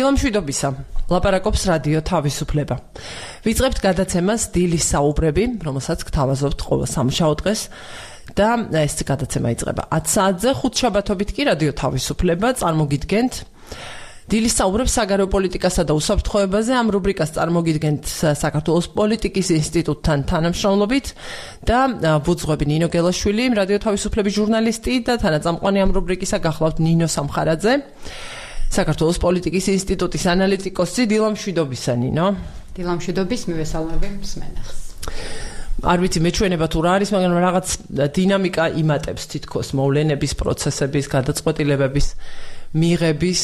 დილამშვიდობისა. ლაპარაკობს რადიო თავისუფლება. ვიწყებთ გადაცემას დილის საუბრები, რომელსაც გთავაზობთ ყოველ სამშაბათ დღეს და ეს გადაცემა იწყება 10 საათზე, ხუთშაბათობით კი რადიო თავისუფლება წარმოგიდგენთ დილის საუბრებს საგარეო პოლიტიკასა და უსაფრთხოებაზე. ამ რუბრიკას წარმოგიდგენთ საქართველოს პოლიტიკის ინსტიტუტთან თანამშრომლობით და ვუძღვები ნინო გელაშვილი, რადიო თავისუფლების ჟურნალისტი და თანაწამყვანი ამ რუბრიკისა გახლავთ ნინო სამხარაძე, საქართველოს პოლიტიკის ინსტიტუტის ანალიტიკოსი. დილამშვიდობისა ნინო. დილამშვიდობის, მივესალმები მსმენელს. არ ვიცი მეჩვენება თუ რა არის, მაგრამ რაღაც დინამიკა იმატებს თითქოს მოვლენების, პროცესების, გადაწყვეტილებების მიღების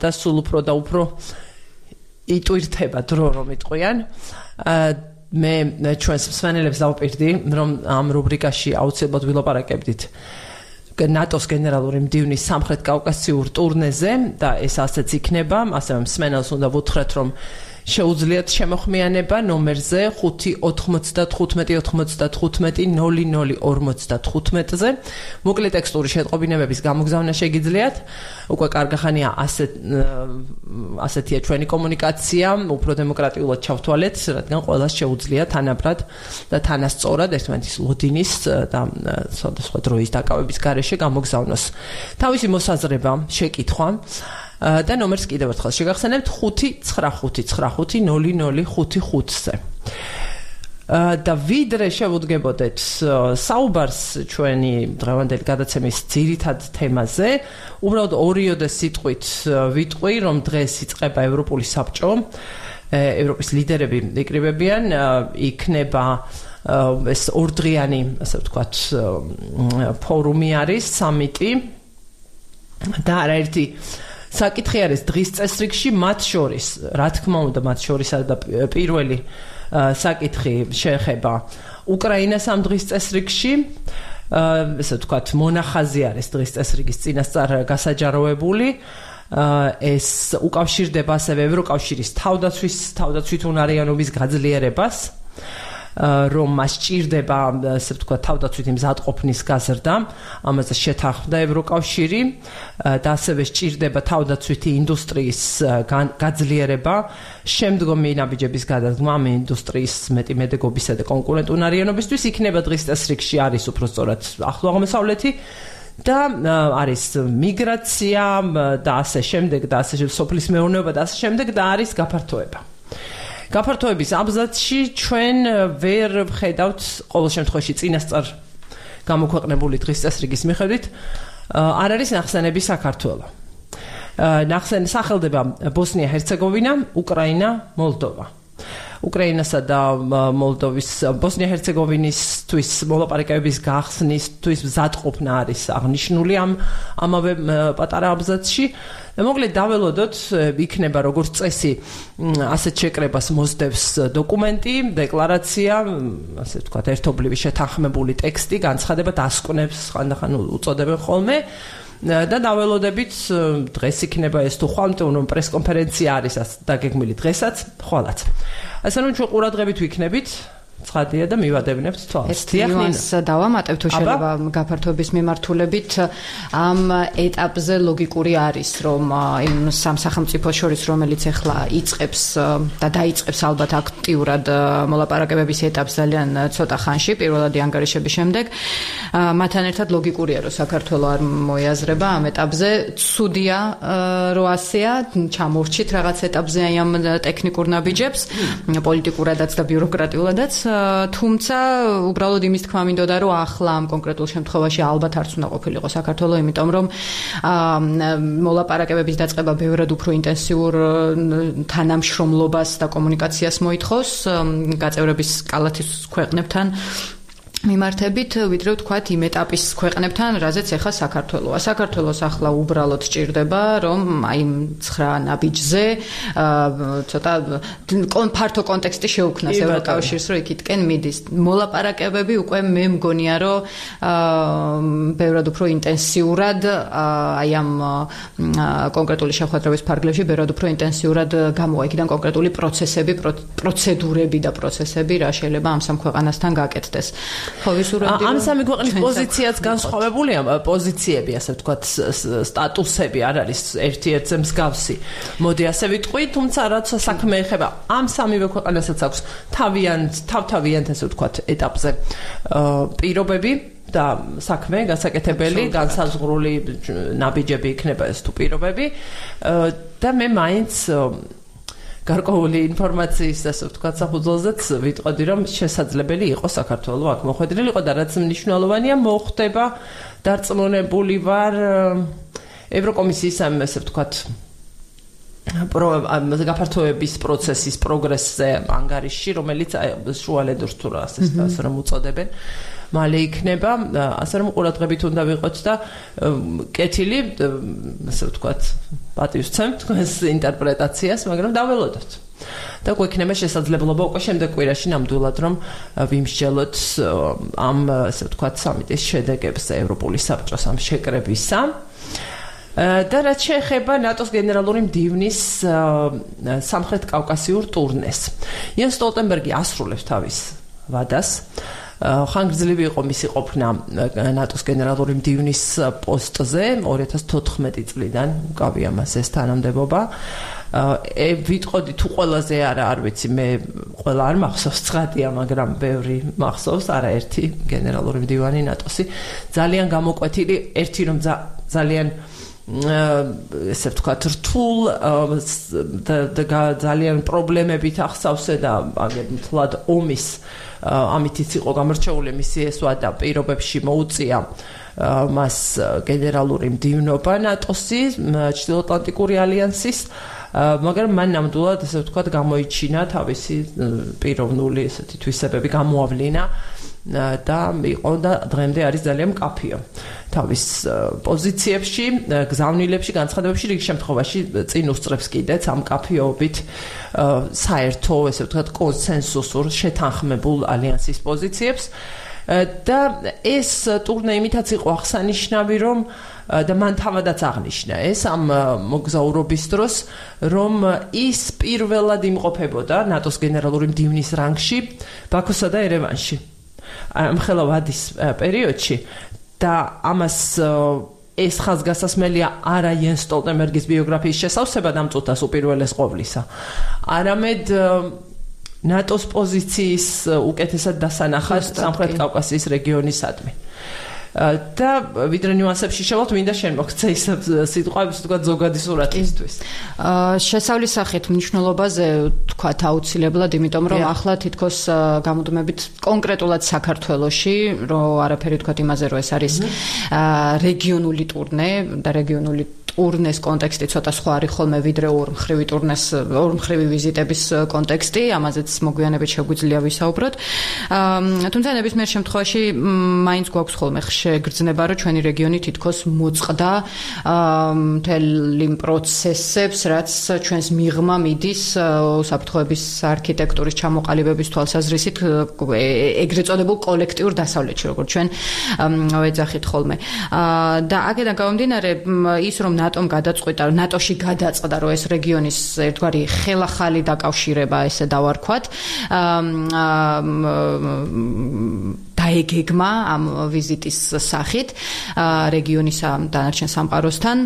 და სულ უფრო და უფრო იტვირთება დრო რომ იტყვიან. მე ჩვენს მსმენელებს დავპირდი, რომ ამ რუბრიკაში აუცილებლად ვილაპარაკებდით ნატოს გენერალური მდივნის სამხრეთ კავკასიურ ტურნეზე და ეს ასეც იქნება. ასევე მსმენელს უნდა ვუთხრეთ, რომ შეუძლიათ შემოხმიანება ნომერზე 5-95-95-00-00-55-ზე. მოკლე ტექსტური შეტყობინებების გამოგზავნა შეგიძლიათ. უკვე კარგახანია ასეთია ჩვენი კომუნიკაცია, უფრო დემოკრატიულად ჩავთვალეთ, რადგან ყველას შეუძლია თანაბრად და თანასწორად ერთმანეთის ლოდინის და სხვადასხვა დროის დაკავების გარეშე გამოგზავნოს თავისი მოსაზრება, შეკითხვა. და ნომერს კიდევ ერთხელ შეგახსენებთ 5-95-95-00-55-ზე. და ვიდრე შევუდგებოდეთ საუბარს ჩვენი დღევანდელი გადაცემის ძირითად თემაზე, უბრალოდ ორიოდე სიტყვით ვიტყვი, რომ დღეს იწყება ევროპული საბჭო, ევროპის ლიდერები იკრიბებიან, იქნება ეს ორდღიანი, ასე ვთქვათ, ფორუმი არის, სამიტი და არაერთი საკითხი არის დღის წესრიგში, მათ შორის, რა თქმა უნდა, მათ შორისა და პირველი საკითხი შეეხება უკრაინას ამ დღის წესრიგში. ესე ვთქვათ, მონახაზი არის დღის წესრიგის წინასწარ გასაჯაროებული. ეს უკავშირდება ასევე ევროკავშირის თავდაცვითუნარიანობის გაძლიერებას, რომ მას ჭირდება, ასე ვთქვათ, თავდაცვითი მზადყოფნის გაზრდა, ამაზე შეთანხმდა ევროკავშირი და ასევე სჭირდება თავდაცვითი ინდუსტრიის გაძლიერება, შემდგომი ნაბიჯების გადადგმა ამ ინდუსტრიის მეტიმედეგობისა და კონკურენტუნარიანობისთვის. იქნება დღის წესრიგში არის უბრალოდ ახლო აღმოსავლეთი და არის მიგრაცია და ასე შემდეგ და ასე სოფლის მეურნეობა და ასე შემდეგ და არის გაფართოება. გაფართოების აბზაცში ჩვენ ვერ ვხედავთ ყოველ შემთხვევაში წინასწარ გამოქვეყნებული დღის წესრიგის მიხედვით არ არის ნახსენები საქართველო. სახელდება ბოსნია-ჰერცეგოვინა, უკრაინა, მოლდოვა. უკრაინასა და მოლდოვის ბოსნია-ჰერცეგოვინისთვის მოლაპარაკებების გახსნისთვის მზადყოფნა არის აღნიშნული ამავე პატარა აბზაცში. მოკლედ დაველოდოთ, იქნება როგორც წესი ასეთ შეკრებას მოსდევს დოკუმენტი, დეკლარაცია, ასე ვთქვათ, ერთობლივი შეთანხმებული ტექსტი, განცხადება დასკვნებს ხანდახან უწოდებენ ხოლმე. და დაველოდებით დღეს იქნება ეს თუ ხვალ, რომ პრესკონფერენცია არის დაგეგმილი დღესაც, ხვალაც. ასე რომ ჩვენ ყურადღებით ვიქნებით, ცხადია და მივადევნებთ თვალს. ეს ნიუანს დავამატებ თუ შეიძლება გაფართოების მიმართულებით ამ ეტაპზე ლოგიკური არის, რომ იმ სამ სახელმწიფოს შორის, რომელიც ახლა იწყებს და დაიწყებს ალბათ აქტიურად მოლაპარაკებების ეტაპს ძალიან ცოტა ხანში, პირველადი ანგარიშების შემდეგ, მათთან ერთად ლოგიკურია, რომ საქართველო არ მოიაზრება ამ ეტაპზე. ცუდია რომ ასეა, ჩამორჩით რაღაც ეტაპზე აი ამ ტექნიკურ ნაბიჯებს, პოლიტიკურადაც და ბიუროკრატიულადაც. თუმცა უბრალოდ იმის თქმა მინდოდა, რომ ახლა ამ კონკრეტულ შემთხვევაში ალბათ არც უნდა ყოფილიყო საქართველო, იმიტომ რომ მოლაპარაკებების დაწყება ბევრად უფრო ინტენსიურ თანამშრომლობას და კომუნიკაციას მოითხოვს გაწევრების კალათის ქვეყნებთან მიმართებით, ვიდრე ვთქვათ იმ ეტაპის ქვეყნებთან, რაზეც ახლა საქართველოა. საქართველოს ახლა უბრალოდ სჭირდება, რომ აი 9 ნაბიჯზე ცოტა ფართო კონტექსტი შეუქმნას ევროკავშირს, რომ იქითკენ მიდის. მოლაპარაკებები უკვე მე მგონია, რომ ბევრად უფრო ინტენსიურად აი ამ კონკრეტული შეხვედრების ფარგლებში ბევრად უფრო ინტენსიურად გამოვა იქიდან კონკრეტული პროცესები, პროცედურები და პროცესები, რა შეიძლება ამ სამ ქვეყანასთან გაკეთდეს. ხო, ვისურვებდი ამ სამი ქვეყნის პოზიციაც განსხვავებულია, პოზიციები, ასე ვთქვათ, სტატუსები არ არის ერთ-ერთზე მსგავსი. მოდი ასე ვიტყვი, თუმცა რაც საქმე ეხება ამ სამივე ქვეყანასაც აქვს თავთავიანთ ასე ვთქვათ ეტაპზე პირობები და საქმე გასაკეთებელი, განსაზღვრული ნაბიჯები იქნება ეს თუ პირობები და მე მაინც გარკვეული ინფორმაციის ასე ვთქვათ საფუძველზეც ვიტყოდი რომ შესაძლებელი იყოს საქართველოს აქ მოხვედრილიყო და რაც მნიშვნელოვანია მოხდება დარწმუნებული ვარ ევროკომისიის ასე ვთქვათ გაფართოების პროცესის პროგრესზე ანგარიში რომელიც შუალედურს თუ ასე რომ უწოდებენ მალე იქნება ასე რომ ყურადღებით უნდა ვიყოთ და კეთილი ასე ვთქვათ პატივსცემთ თქვენს ინტერპრეტაციას მაგრამ დაველოდოთ და გვექნება შესაძლებლობა უკვე შემდეგ კვირაში ნამდვილად რომ ვიმსჯელოთ ამ ასე ვთქვათ სამიტის შედეგებს ევროპული საბჭოს ამ შეკრებისა და რაც შეეხება ნატოს გენერალური მდივნის სამხრეთ კავკასიურ ტურნეს იენს სტოლტენბერგი ასრულებს თავის ვადას ხანგრძლივი იყო მისი ყოფნა ნატოს გენერალური მდივნის პოსტზე 2014 წლიდან უკავია მას ეს თანამდებობა ვიტყოდი თუ ყველაზე არ ვიცი მე ყველა არ მახსოვს ცხადია მაგრამ ბევრი მახსოვს არაერთი გენერალური მდივანი ნატოსი ძალიან გამოკვეთილი ერთი რომ ძალიან ესე ვთქვათ რთულ და ძალიან პრობლემებით ახსავსე და მთლად ომის ამითიც იყო გამორჩეული მისი ეს ვადა პირობებში მოუწია მას გენერალური მდივნობა ნატოსი ჩრდილოატლანტიკური ალიანსის მაგრამ მან ნამდვილად ესე ვთქვათ გამოიჩინა თავისი პიროვნული ესეთი თვისებები გამოავლინა და იყო და დღემდე არის ძალიან მკაფიო თავის პოზიციებში, გზავნილებში, განცხადებებში რიგ შემთხვევაში წინ უსწრებს კიდეც ამ მკაფიობით საერთო, ესე ვთქვათ, კონსენსუსურ შეთანხმებულ ალიანსის პოზიციებს და ეს ტურნე იმითაც იყო აღსანიშნავი, რომ და მან თავადაც აღნიშნა ეს ამ მოგზაურობის დროს, რომ ის პირველად იმყოფებოდა ნატოს გენერალური მდივნის რანგში ბაქოსა და ერევანში. ამხელა ვადის პერიოდში და ამას ეს ხაზგასასმელია არა იენს სტოლტენბერგის ბიოგრაფიის შესავსება დამწუთას უპირველეს ყოვლისა. არამედ ნატოს პოზიციის უკეთესად დასანახად სამხრეთ კავკასიის რეგიონისადმი. და ვიდრე ნიუანსებში შევალთ, მინდა შენ მოგცე ის სიტყვების თქვა ზოგადი სურათისთვის. შესავლის სახით მნიშვნელობაზე თქვა აუცილებლად, იმიტომ რომ ახლა თითქოს გამოდმებით კონკრეტულად საქართველოში, რომ არაფერი თქვა იმაზე, რომ ეს არის რეგიონული ტურნე და რეგიონული ტურნეს კონტექსტი ცოტა სხვა არის ხოლმე ვიდრე ორმხრივი ტურნეს ორმხრივი ვიზიტების კონტექსტი, ამაზეც მოგვიანებით შეგვიძლია ვისაუბროთ. თუმცა ნებისმიერ შემთხვევაში მაინც გვაქვს ხოლმე შეგრძნება, რომ ჩვენი რეგიონი თითქოს მოწყდა მთელი პროცესებს, რაც ჩვენს მიღმა მიდის უსაფრთხოების არქიტექტურის ჩამოყალიბების თვალსაზრისით ეგრეთ წოდებულ კოლექტიურ დასავლეთში, როგორც ჩვენ ვეძახით ხოლმე. და აქედან გამომდინარე, ის რომ ნატომ გადაწყვიტა, ნატოში გადაწყდა, რომ ეს რეგიონის ერთგვარი ხელახალი დაკავშირება, ესე დავარქვათ, დაეგეგმა ამ ვიზიტის სახით რეგიონის დანარჩენ სამყაროსთან.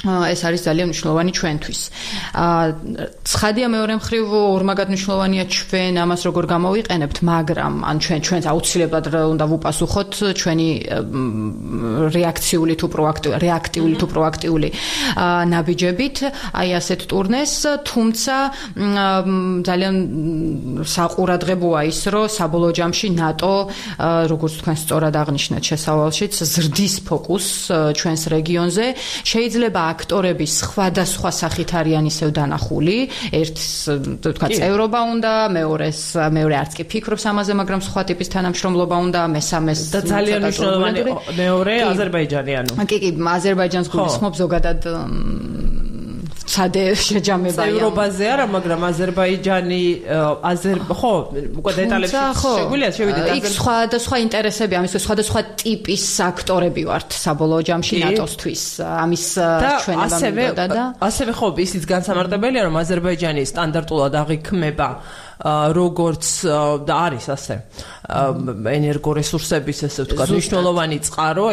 ეს არის ძალიან მნიშვნელოვანი ჩვენთვის. ცხადია მეორე მხრივ ორმაგად მნიშვნელოვანია ჩვენ ამას როგორ გამოვიყენებთ, მაგრამ ან ჩვენს აუცილებლად უნდა ვუპასუხოთ ჩვენი რეაქტიული თუ პროაქტიული ნაბიჯებით, აი ასეთ ტურნეს, თუმცა ძალიან საყურადღებოა ის, რომ საბოლოო ჯამში ნატო, როგორც თქვენ სწორად აღნიშნეთ შესავალშიც, ზრდის ფოკუსს ჩვენს რეგიონზე, შეიძლება აქტორები სხვადასხვა სახით არიან ისევ დანახული, ერთს თქვა წევრობა უნდა, მეორე არც კი ფიქრობს ამაზე, მაგრამ სხვა ტიპის თანამშრომლობა უნდა, მესამეს და ძალიან მნიშვნელოვანი მეორე აზერბაიჯანიანო. კი, აზერბაიჯანს გულისხმობ ზოგადად ცადე შეჯამებაა. ევროპაზე არა, მაგრამ აზერბაიჯანი ხო, უკვე დეტალებში შეგვიძლია შევიდეთ. იქ სხვა ინტერესები, ამის სხვა ტიპის აქტორები ვართ საბოლოო ჯამში ნატოსთვის. ამის ჩვენება მინდოდა და ასევე ხო, ისიც განსამარტებელია, რომ აზერბაიჯანი სტანდარტულად აღიქმება როგორც და არის ასე ენერგორესურსების ესე ვთქვათ მნიშვნელოვანი წყარო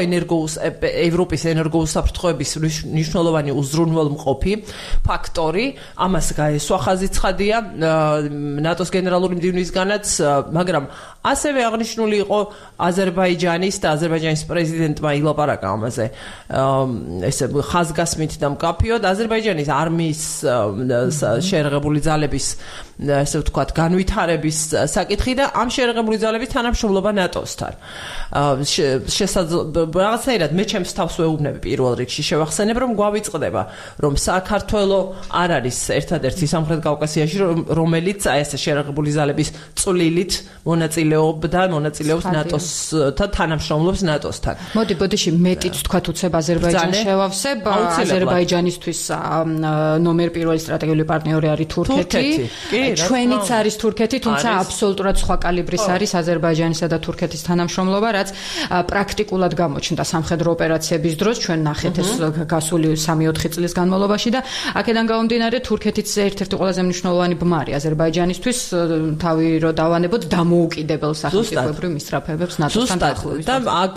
ევროპის ენერგოუსაფრთხოების მნიშვნელოვანი უზრუნველმყოფი ფაქტორი ამას გაესვა ხაზი ცხადია ნატოს გენერალური მდივნისგანაც მაგრამ ასევე აღნიშნული იყო აზერბაიჯანის და აზერბაიჯანის პრეზიდენტმა ილაპარაკა ამაზე ესე ხაზგასმით და მკაფიოდ აზერბაიჯანის არმიის შეერაღებული ძალების ესე ვთქვათ განვითარების საკითხი და ამ შეერაღებული ძალების თანამშრომლობა ნატოსთან რაღაცნაირად მე ჩემს თავს ვეუბნები პირველ რიგში შევახსენებ რომ გვავიწყდება რომ საქართველო არ არის ერთადერთი სამხრეთ კავკასიაში რომელიც აი ესე შეერაღებული ძალების წვლილით მონაწილეობს ნატოსთან თანამშრომლობს ნატოსთან მოდი ბოდიში მეტიც თქვა უცებ აზერბაიჯანს შევავსებ აზერბაიჯანისთვის ნომერ პირველი სტრატეგიული პარტნიორი არის თურქეთი ჩვენიც არის თურქეთი თუმცა აბსოლუტურად სხვა კალიბრის არის აზერბაიჯანისა და თურქეთის თანამშრომლობა რაც პრაქტიკულად გამოჩნდა სამხედრო ოპერაციების დროს ჩვენ ნახეთ ეს გასული 3-4 წლის განმავლობაში და აქედან გამომდინარე თურქეთის ერთ-ერთი ყველაზე მნიშვნელოვანი ბმარი აზერბაიჯანისთვის თავი რო დავანებოთ დამოუკიდებელ სახელმწიფოებრივ მისწრაფებებს ნატოსთან დაახლოებით და აქ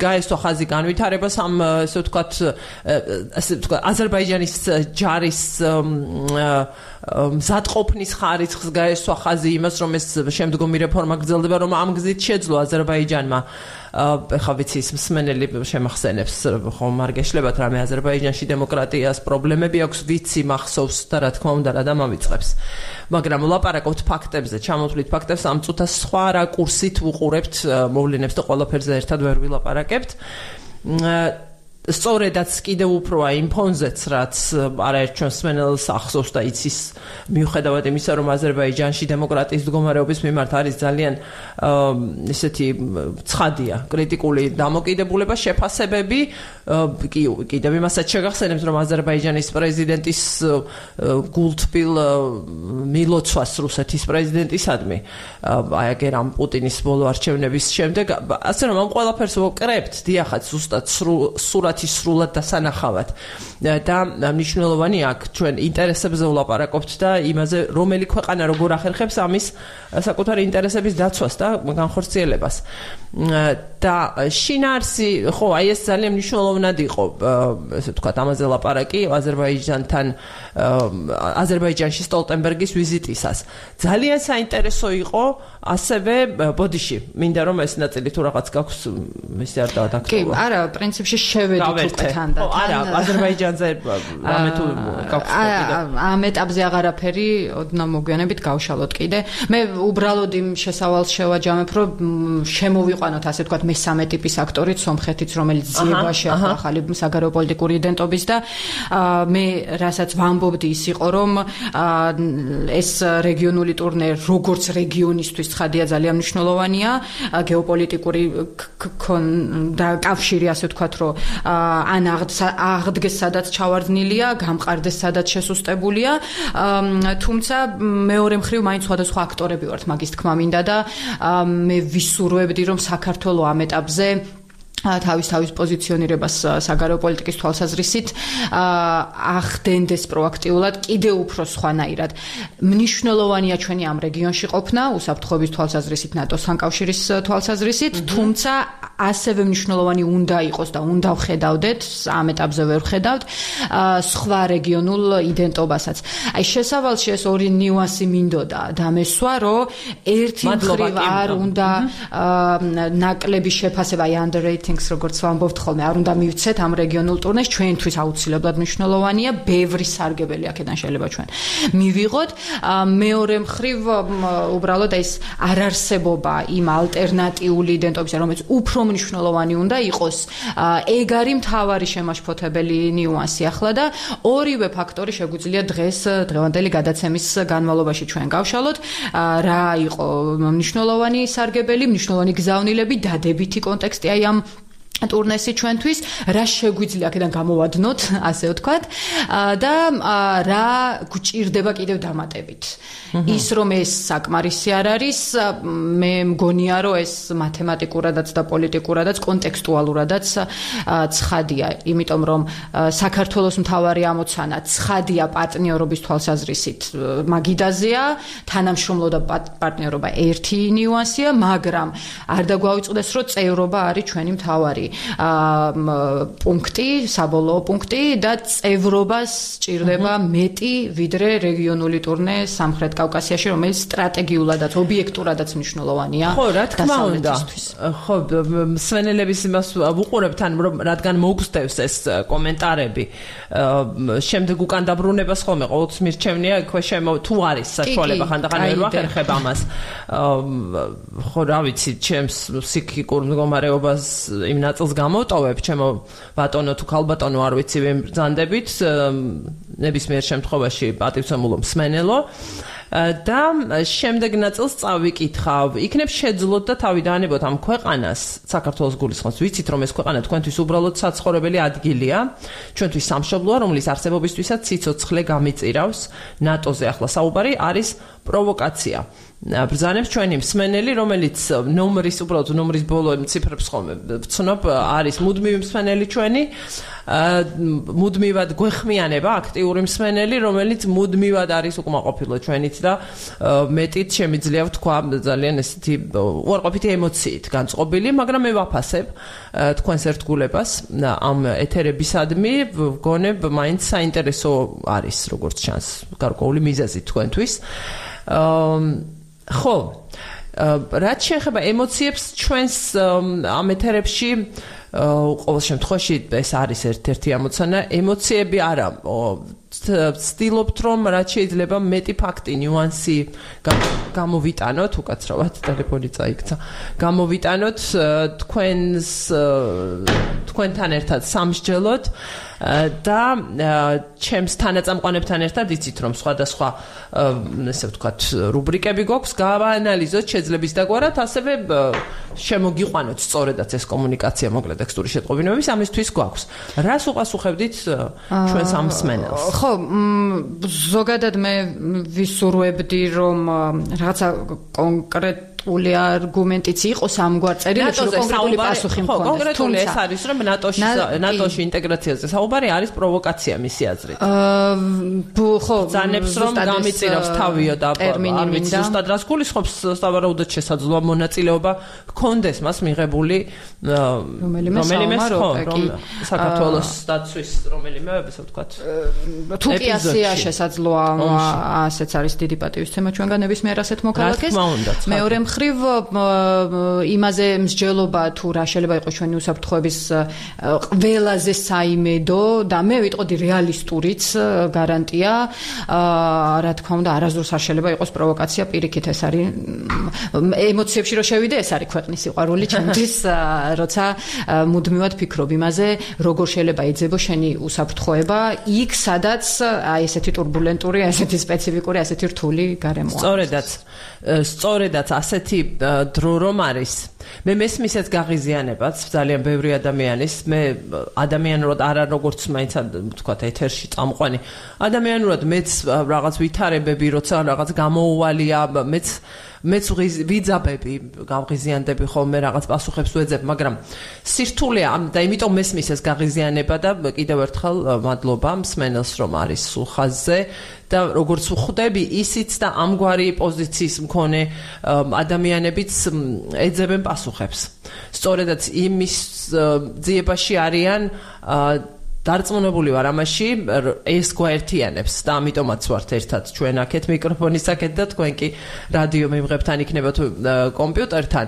გაესვა ხაზი განვითარებას ამ ესე ვთქვათ აზერბაიჯანის ჯარის მზადყოფნის ხარისხს გაესვა ხაზი იმას რომ ეს შემდგომი რეფორმა გრძელდება რომ ამ გზით შეძლო აზერბაიჯანმა ეხლა ვიცი ის მსმენელი შემახსენებს ხომ არ გეშლებათ რამე აზერბაიჯანში დემოკრატიას პრობლემები აქვს ვიცი მახსოვს და რა თქმა უნდა რა დამამიწყებს მაგრამ ვლაპარაკობთ ფაქტებზე ჩამოთვლით ფაქტებს ამ წუთას სხვა რაკურსით ვუყურებთ მოვლენებს და ყველაფერზე ერთად ვერ ვილაპარაკებთ სწორედაც კიდევ უფრო იმ ფონზეც რაც არაერთ ჩვენს მსმენელს ახსოვს და იცის მიუხედავად იმისა რომ აზერბაიჯანში დემოკრატიის მდგომარეობის მიმართ არის ძალიან ისეთი ცხადია კრიტიკული დამოკიდებულება შეფასებები კიდევ იმასაც შეგახსენებთ რომ აზერბაიჯანის პრეზიდენტის გულთბილ მილოცვას რუსეთის პრეზიდენტისადმი აი აგერამ პუტინის ბოლო არჩევნების შემდეგ ასე რომ ამ ყველაფერს ვკრებთ დიახაც ზუსტად სრულად დასანახავად და მნიშვნელოვანი აქ ჩვენ ინტერესებზე ვლაპარაკობთ და იმაზე რომელი ქვეყანა როგორ ახერხებს ამის საკუთარი ინტერესების დაცვას და განხორციელებას და შინაარსი ხო აი ეს ძალიან მნიშვნელოვნად იყო ესე ვთქვათ ამაზე ლაპარაკი აზერბაიჯანთან აზერბაიჯანში სტოლტენბერგის ვიზიტისას ძალიან საინტერესო იყო ასევე ბოდიში მინდა რომ ეს ნაწილი თუ რაღაც გაქვს ისე არ დავდაკეთო კი არა პრინციპში შევედით უკვე თანდათან არა აზერბაიჯანზე რამე თუ გაქვს ამ ეტაპზე აღარაფერი ოდნავ მოგვიანებით გავშალოთ კიდე მე უბრალოდ იმ შესავალს შევაჯამებ რომ შემოვიყვანოთ ასე ვთქვათ მესამე ტიპის აქტორით სომხეთიც რომელიც ძიებაში ახალი საგარეო პოლიტიკური იდენტობის და მე რასაც ვამბობდი ის იყო რომ ეს რეგიონული ტურნე როგორც რეგიონისთვის ცხადია ძალიან მნიშვნელოვანია გეოპოლიტიკური და კავშირი ასე ვთქვათ რომ ან აღდგეს სადაც ჩავარდნილია გამყარდეს სადაც შესუსტებულია თუმცა მეორე მხრივ მაინც სხვადასხვა აქტორები ვართ მაგის თქმა მინდა და მე ვისურვებდი რომ საქართველოს ამ ეტაპზე თავის პოზიციონირებას საგარეო პოლიტიკის თვალსაზრისით ახდენდეს პროაქტიულად კიდევ უფრო სხვანაირად. მნიშვნელოვანია ჩვენი ამ რეგიონში ყოფნა, უსაფრთხოების თვალსაზრისით, ნატოსთან კავშირის თვალსაზრისით, თუმცა ასევე მნიშვნელოვანი უნდა იყოს და უნდა ვხედავდეთ, ამ ეტაპზე ვერ ვხედავთ, სხვა რეგიონულ იდენტობასაც. აი შესავალში ეს ორი ნიუანსი მინდოდა დამესვა, რომ ერთი მხრივ არ უნდა ნაკლები შეფასება აი underrating როგორც ვამბობთ ხოლმე, არ უნდა მივცეთ ამ რეგიონულ ტურნეს, ჩვენთვის აუცილებლად მნიშვნელოვანია, ბევრი სარგებელი აქედან შეიძლება ჩვენ მივიღოთ. მეორე მხრივ უბრალოდ ეს არარსებობა იმ ალტერნატიული იდენტობისა, რომელიც უფრო მნიშვნელოვანი უნდა იყოს, ეგ არის მთავარი შემაშფოთებელი ნიუანსი ახლა და ორივე ფაქტორი შეგვიძლია დღევანდელი გადაცემის განმავლობაში ჩვენ გავშალოთ, რა იყო მნიშვნელოვანი სარგებელი, მნიშვნელოვანი გზავნილები, დადებითი კონტექსტი აი ამ ტურნესი ჩვენთვის, რა შეგვიძლია აქედან გამოვადნოთ, ასე ვთქვათ, და რა გვჭირდება კიდევ დამატებით. ის რომ ეს საკმარისი არ არის, მე მგონია რომ ეს მათემატიკურადაც და პოლიტიკურადაც, კონტექსტუალურადაც ცხადია, იმიტომ რომ საქართველოს მთავარი ამოცანა ცხადია პარტნიორობის თვალსაზრისით მაგიდაზეა, თანამშრომლობა და პარტნიორობა ერთი ნიუანსია, მაგრამ არ დაგვაუწყდეს რომ წევრობა არის ჩვენი მთავარი პუნქტი, საბოლოო პუნქტი და წევრობას სჭირდება მეტი ვიდრე რეგიონული ტურნე სამხრეთ კავკასიაში, რომელიც სტრატეგიულადაც, ობიექტურადაც მნიშვნელოვანია. ხო, რა თქმა უნდა. ხო, მსვენელების იმას ვუყურებთ, რომ რადგან მოგსდევს ეს კომენტარები, შემდეგ უკან დაბრუნებას ხოლმე ყოველთვის მირჩევნია, თუ არის საშუალება ხანდახან ვერ ვახერხებ ამას. ხო, რა ვიცი, ჩემს ფსიქიკურ მდგომარეობას იმ ნაწილს გამოვტოვებ, ჩემო ბატონო თუ ქალბატონო არ ვიცი ვინ ბრძანდებით, ნებისმიერ შემთხვევაში პატივცემულო მსმენელო და შემდეგ ნაწილს წავიკითხავ. იქნებ შეძლოთ და თავი დაანებოთ ამ ქვეყანას, საქართველოს გულისხმობს. ვიცით რომ ეს ქვეყანა თქვენთვის უბრალოდ საცხოვრებელი ადგილია, ჩვენთვის სამშობლოა, რომლის არსებობისთვისაც სიცოცხლე გამიწირავს. ნატოზე ახლა საუბარი არის პროვოკაცია. ბრძანებს ჩვენი მსმენელი, რომელიც უბრალოდ ნომრის ბოლო ციფრებს ხოლმე ვცნობ, არის მუდმივი მსმენელი ჩვენი, მუდმივად გვეხმიანება აქტიური მსმენელი, რომელიც მუდმივად არის უკმაყოფილო ჩვენით და მეტით შემიძლია ვთქვა ძალიან ესეთი უარყოფითი ემოციით განწყობილი, მაგრამ მე ვაფასებ თქვენს ერთგულებას ამ ეთერებისადმი, ვგონებ მაინც საინტერესო არის როგორც ჩანს გარკვეული მიზეზი თქვენთვის. ხო, რაც შეეხება ემოციებს ჩვენს ამ ეთერებში ყოველ შემთხვევაში ეს არის ერთ-ერთი ამოცანა, ემოციები არა, ვცდილობთ რომ რაც შეიძლება მეტი ფაქტი, ნიუანსი გამოვიტანოთ, უკაცრავად ტელეფონი წაიქცა, გამოვიტანოთ თქვენთან ერთად სამსჯელოდ და ჩემს თანაწამყვანებთან ერთად იცით რომ სხვადასხვა ესე ვთქვათ რუბრიკები გვაქვს, გავაანალიზოთ შეძლების დაგვარად, ასევე შემოგიყვანოთ სწორედაც ეს კომუნიკაცია მოკლედ ტექსტური შეტყობინებების, ამისთვის გვაქვს. რას უპასუხებდით ჩვენს ამ მსმენელს? ხო, ზოგადად მე ვისურვებდი რომ რაღაცა კონკრეტული არგუმენტიც იყოს ამგვარ წერილებში, რომ კონკრეტული პასუხი მქონდეს. ხო, კონკრეტული ეს არის რომ ნატოში ინტეგრაციაზე საუბარი არის პროვოკაცია მისი აზრით. ხო, ბრძანებს რომ გამიწირავს თავიო და არ ვიცი ზუსტად რას გულისხმობს, სავარაუდოდ შესაძლოა მონაწილეობა ჰქონდეს მას მიღებული რომელიმე საქართველოს დაცვის რომელიმე ესე ვთქვათ თუკიასია შესაძლოა ასეც არის დიდი პატივისცემა ჩვენგან ნებისმიერ ასეთ მოქალაქეს. მეორე მხრივ იმაზე მსჯელობა თუ რა შეიძლება იყოს ჩვენი უსაფრთხოების ყველაზე საიმედო და მე ვიტყოდი რეალისტურიც გარანტია, რა თქმა უნდა არასდროს არ შეიძლება იყოს პროვოკაცია, პირიქით ეს არის ემოციებში რო შევიდე, ეს არის ქვეყნის სიყვარული ჩემთვის, როცა მუდმივად ფიქრობ იმაზე, როგორ შეიძლება ეძებო შენი უსაფრთხოება იქ, სადაც აი ესეთი турბულენტური, ესეთი სპეციფიკური, ესეთი რთული გარემოა. სწორედაც ასეთი დრო რომ არის. მე მესმისეთ გაღიზიანებაც ძალიან ბევრი ადამიანის, მე ადამიანურად არა როგორც მაინც ვთქვათ ეთერში წამყვანი, ადამიანურად მეც რაღაც ვითარებები, როცა რაღაც გამოუვალია, მეც ვიძაბები, გავღიზიანდები ხოლმე რაღაც პასუხებს ვეძებ, მაგრამ სირთულეა და იმიტომ მესმის ეს გაღიზიანება და კიდევ ერთხელ მადლობა მსმენელს რომ არის სულ ხაზზე და როგორც ვხვდები ისიც და ამგვარი პოზიციის მქონე ადამიანებიც ეძებენ პასუხებს. სწორედაც იმის ძიებაში არიან დარწმუნებული ვარ ამაში, ეს გვაერთიანებს და ამიტომაც ვართ ერთად ჩვენ აქეთ მიკროფონის აქეთ და თქვენ კი რადიო მიმღებთან იქნებათ კომპიუტერთან,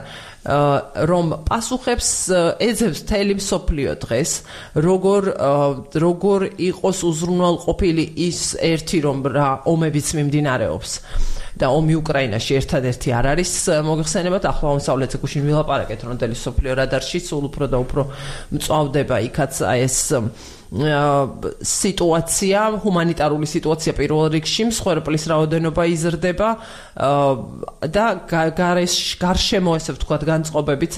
რომ პასუხებს ეძებს მთელი მსოფლიო დღეს, როგორ იყოს უზრუნველყოფილი ის ერთი რომ რა ომებიც მიმდინარეობს. და ომი უკრაინაში ერთადერთი არ არის მოგეხსენებათ ახლა აღმოსავლეთზე გუშინ ვილაპარაკეთ როდელი სოფლიო რადარში სულ უფრო და უფრო მწვავდება იქაც ეს სიტუაცია, ჰუმანიტარული სიტუაცია პირველ რიგში, მსხვერპლის რაოდენობა იზრდება და გარშემო ესე ვთქვათ განწყობებით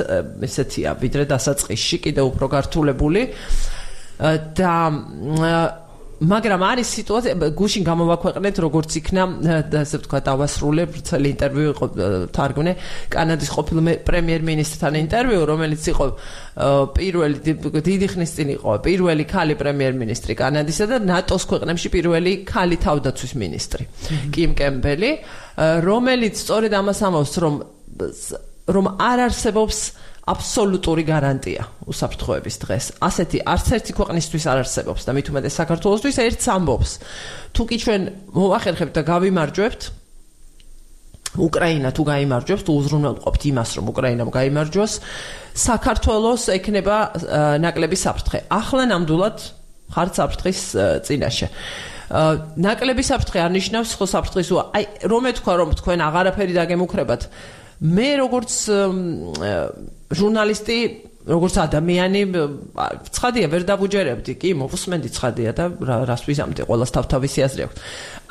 ესეთია, ვიდრე დასაწყისში კიდევ უფრო გართულებული და მაგრამ არის სიტუაცია გუშინ გამოვაქვეყნეთ როგორც იქნა ასე ვთქვათ დავასრულებ წელი ინტერვიუ იყო თარგმნე კანადის ყოფილ პრემიერ-მინისტრთან ინტერვიუ რომელიც იყო პირველი დიდი ხნის წინ იყო პირველი ქალი პრემიერ-მინისტრი კანადისა და ნატოს ქვეყნებში პირველი ქალი თავდაცვის მინისტრი კიმ კემბელი რომელიც სწორედ ამას ამბობს რომ არ არსებობს აბსოლუტური გარანტია უსაფრთხოების დღეს. ასეთი არც ერთი ქვეყნისთვის არ არსებობს და მით უმეტეს საქართველოსთვის ერთს ამბობს. თუ კი ჩვენ მოვახერხებთ და გავიმარჯვებთ უკრაინა თუ გაიმარჯვებს, თუ უზრუნველყოფთ იმას, რომ უკრაინამ გაიმარჯვოს, საქართველოს ექნება ნაკლები საფრთხე. ახლა ნამდვილად ხართ საფრთხის წინაშე. ნაკლები საფრთხე არ ნიშნავს ხო საფრთხის აი რომ ეთქვა რომ თქვენ აღარაფერი დაგემუქრებათ. მე როგორც ჟურნალისტი, როგორც ადამიანი, ცხადია ვერ დაბუჯერებდი, კი, მოვუსმენდი ცხადია და რას ვიზამდი, ყველას თავთავისი აზრი აქვს.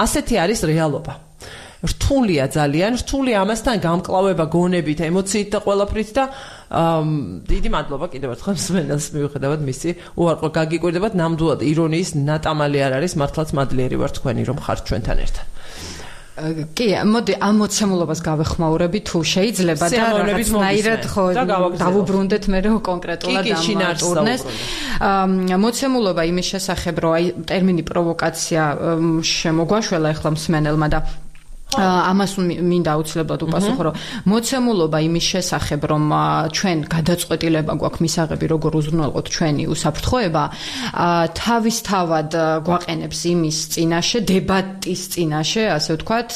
ასეთი არის რეალობა. რთულია ძალიან, რთულია ამასთან გამკლავება გონებით, ემოციით და ყველაფრით და დიდი მადლობა კიდევ ერთხელ მსმენელს მიუხედავად მისი უარყო გაგიკვირდებათ, ნამდვილად ირონიის ნატამალი არ არის, მართლაც მადლიერი ვარ თქვენი რომ ხართ ჩვენთან ერთად. კი, მოდი ამ მოცემულობას გავეხმაურები თუ შეიძლება და რაღაცნაირად ხო დავუბრუნდეთ მე რომ კონკრეტულად ამ ტურნეს. მოცემულობა იმის შესახებ, რომ აი ტერმინი პროვოკაცია შემოგვაშველა ახლა მსმენელმა და ამას მინდა აუცილებლად უპასუხო, რომ მოცემულობა იმის შესახებ, რომ ჩვენ გადაწყვეტილება გვაქვს მისაღები, როგორ უზრუნველყოთ ჩვენი უსაფრთხოება, თავისთავად გვაყენებს იმის წინაშე, დებატის წინაშე, ასე ვთქვათ,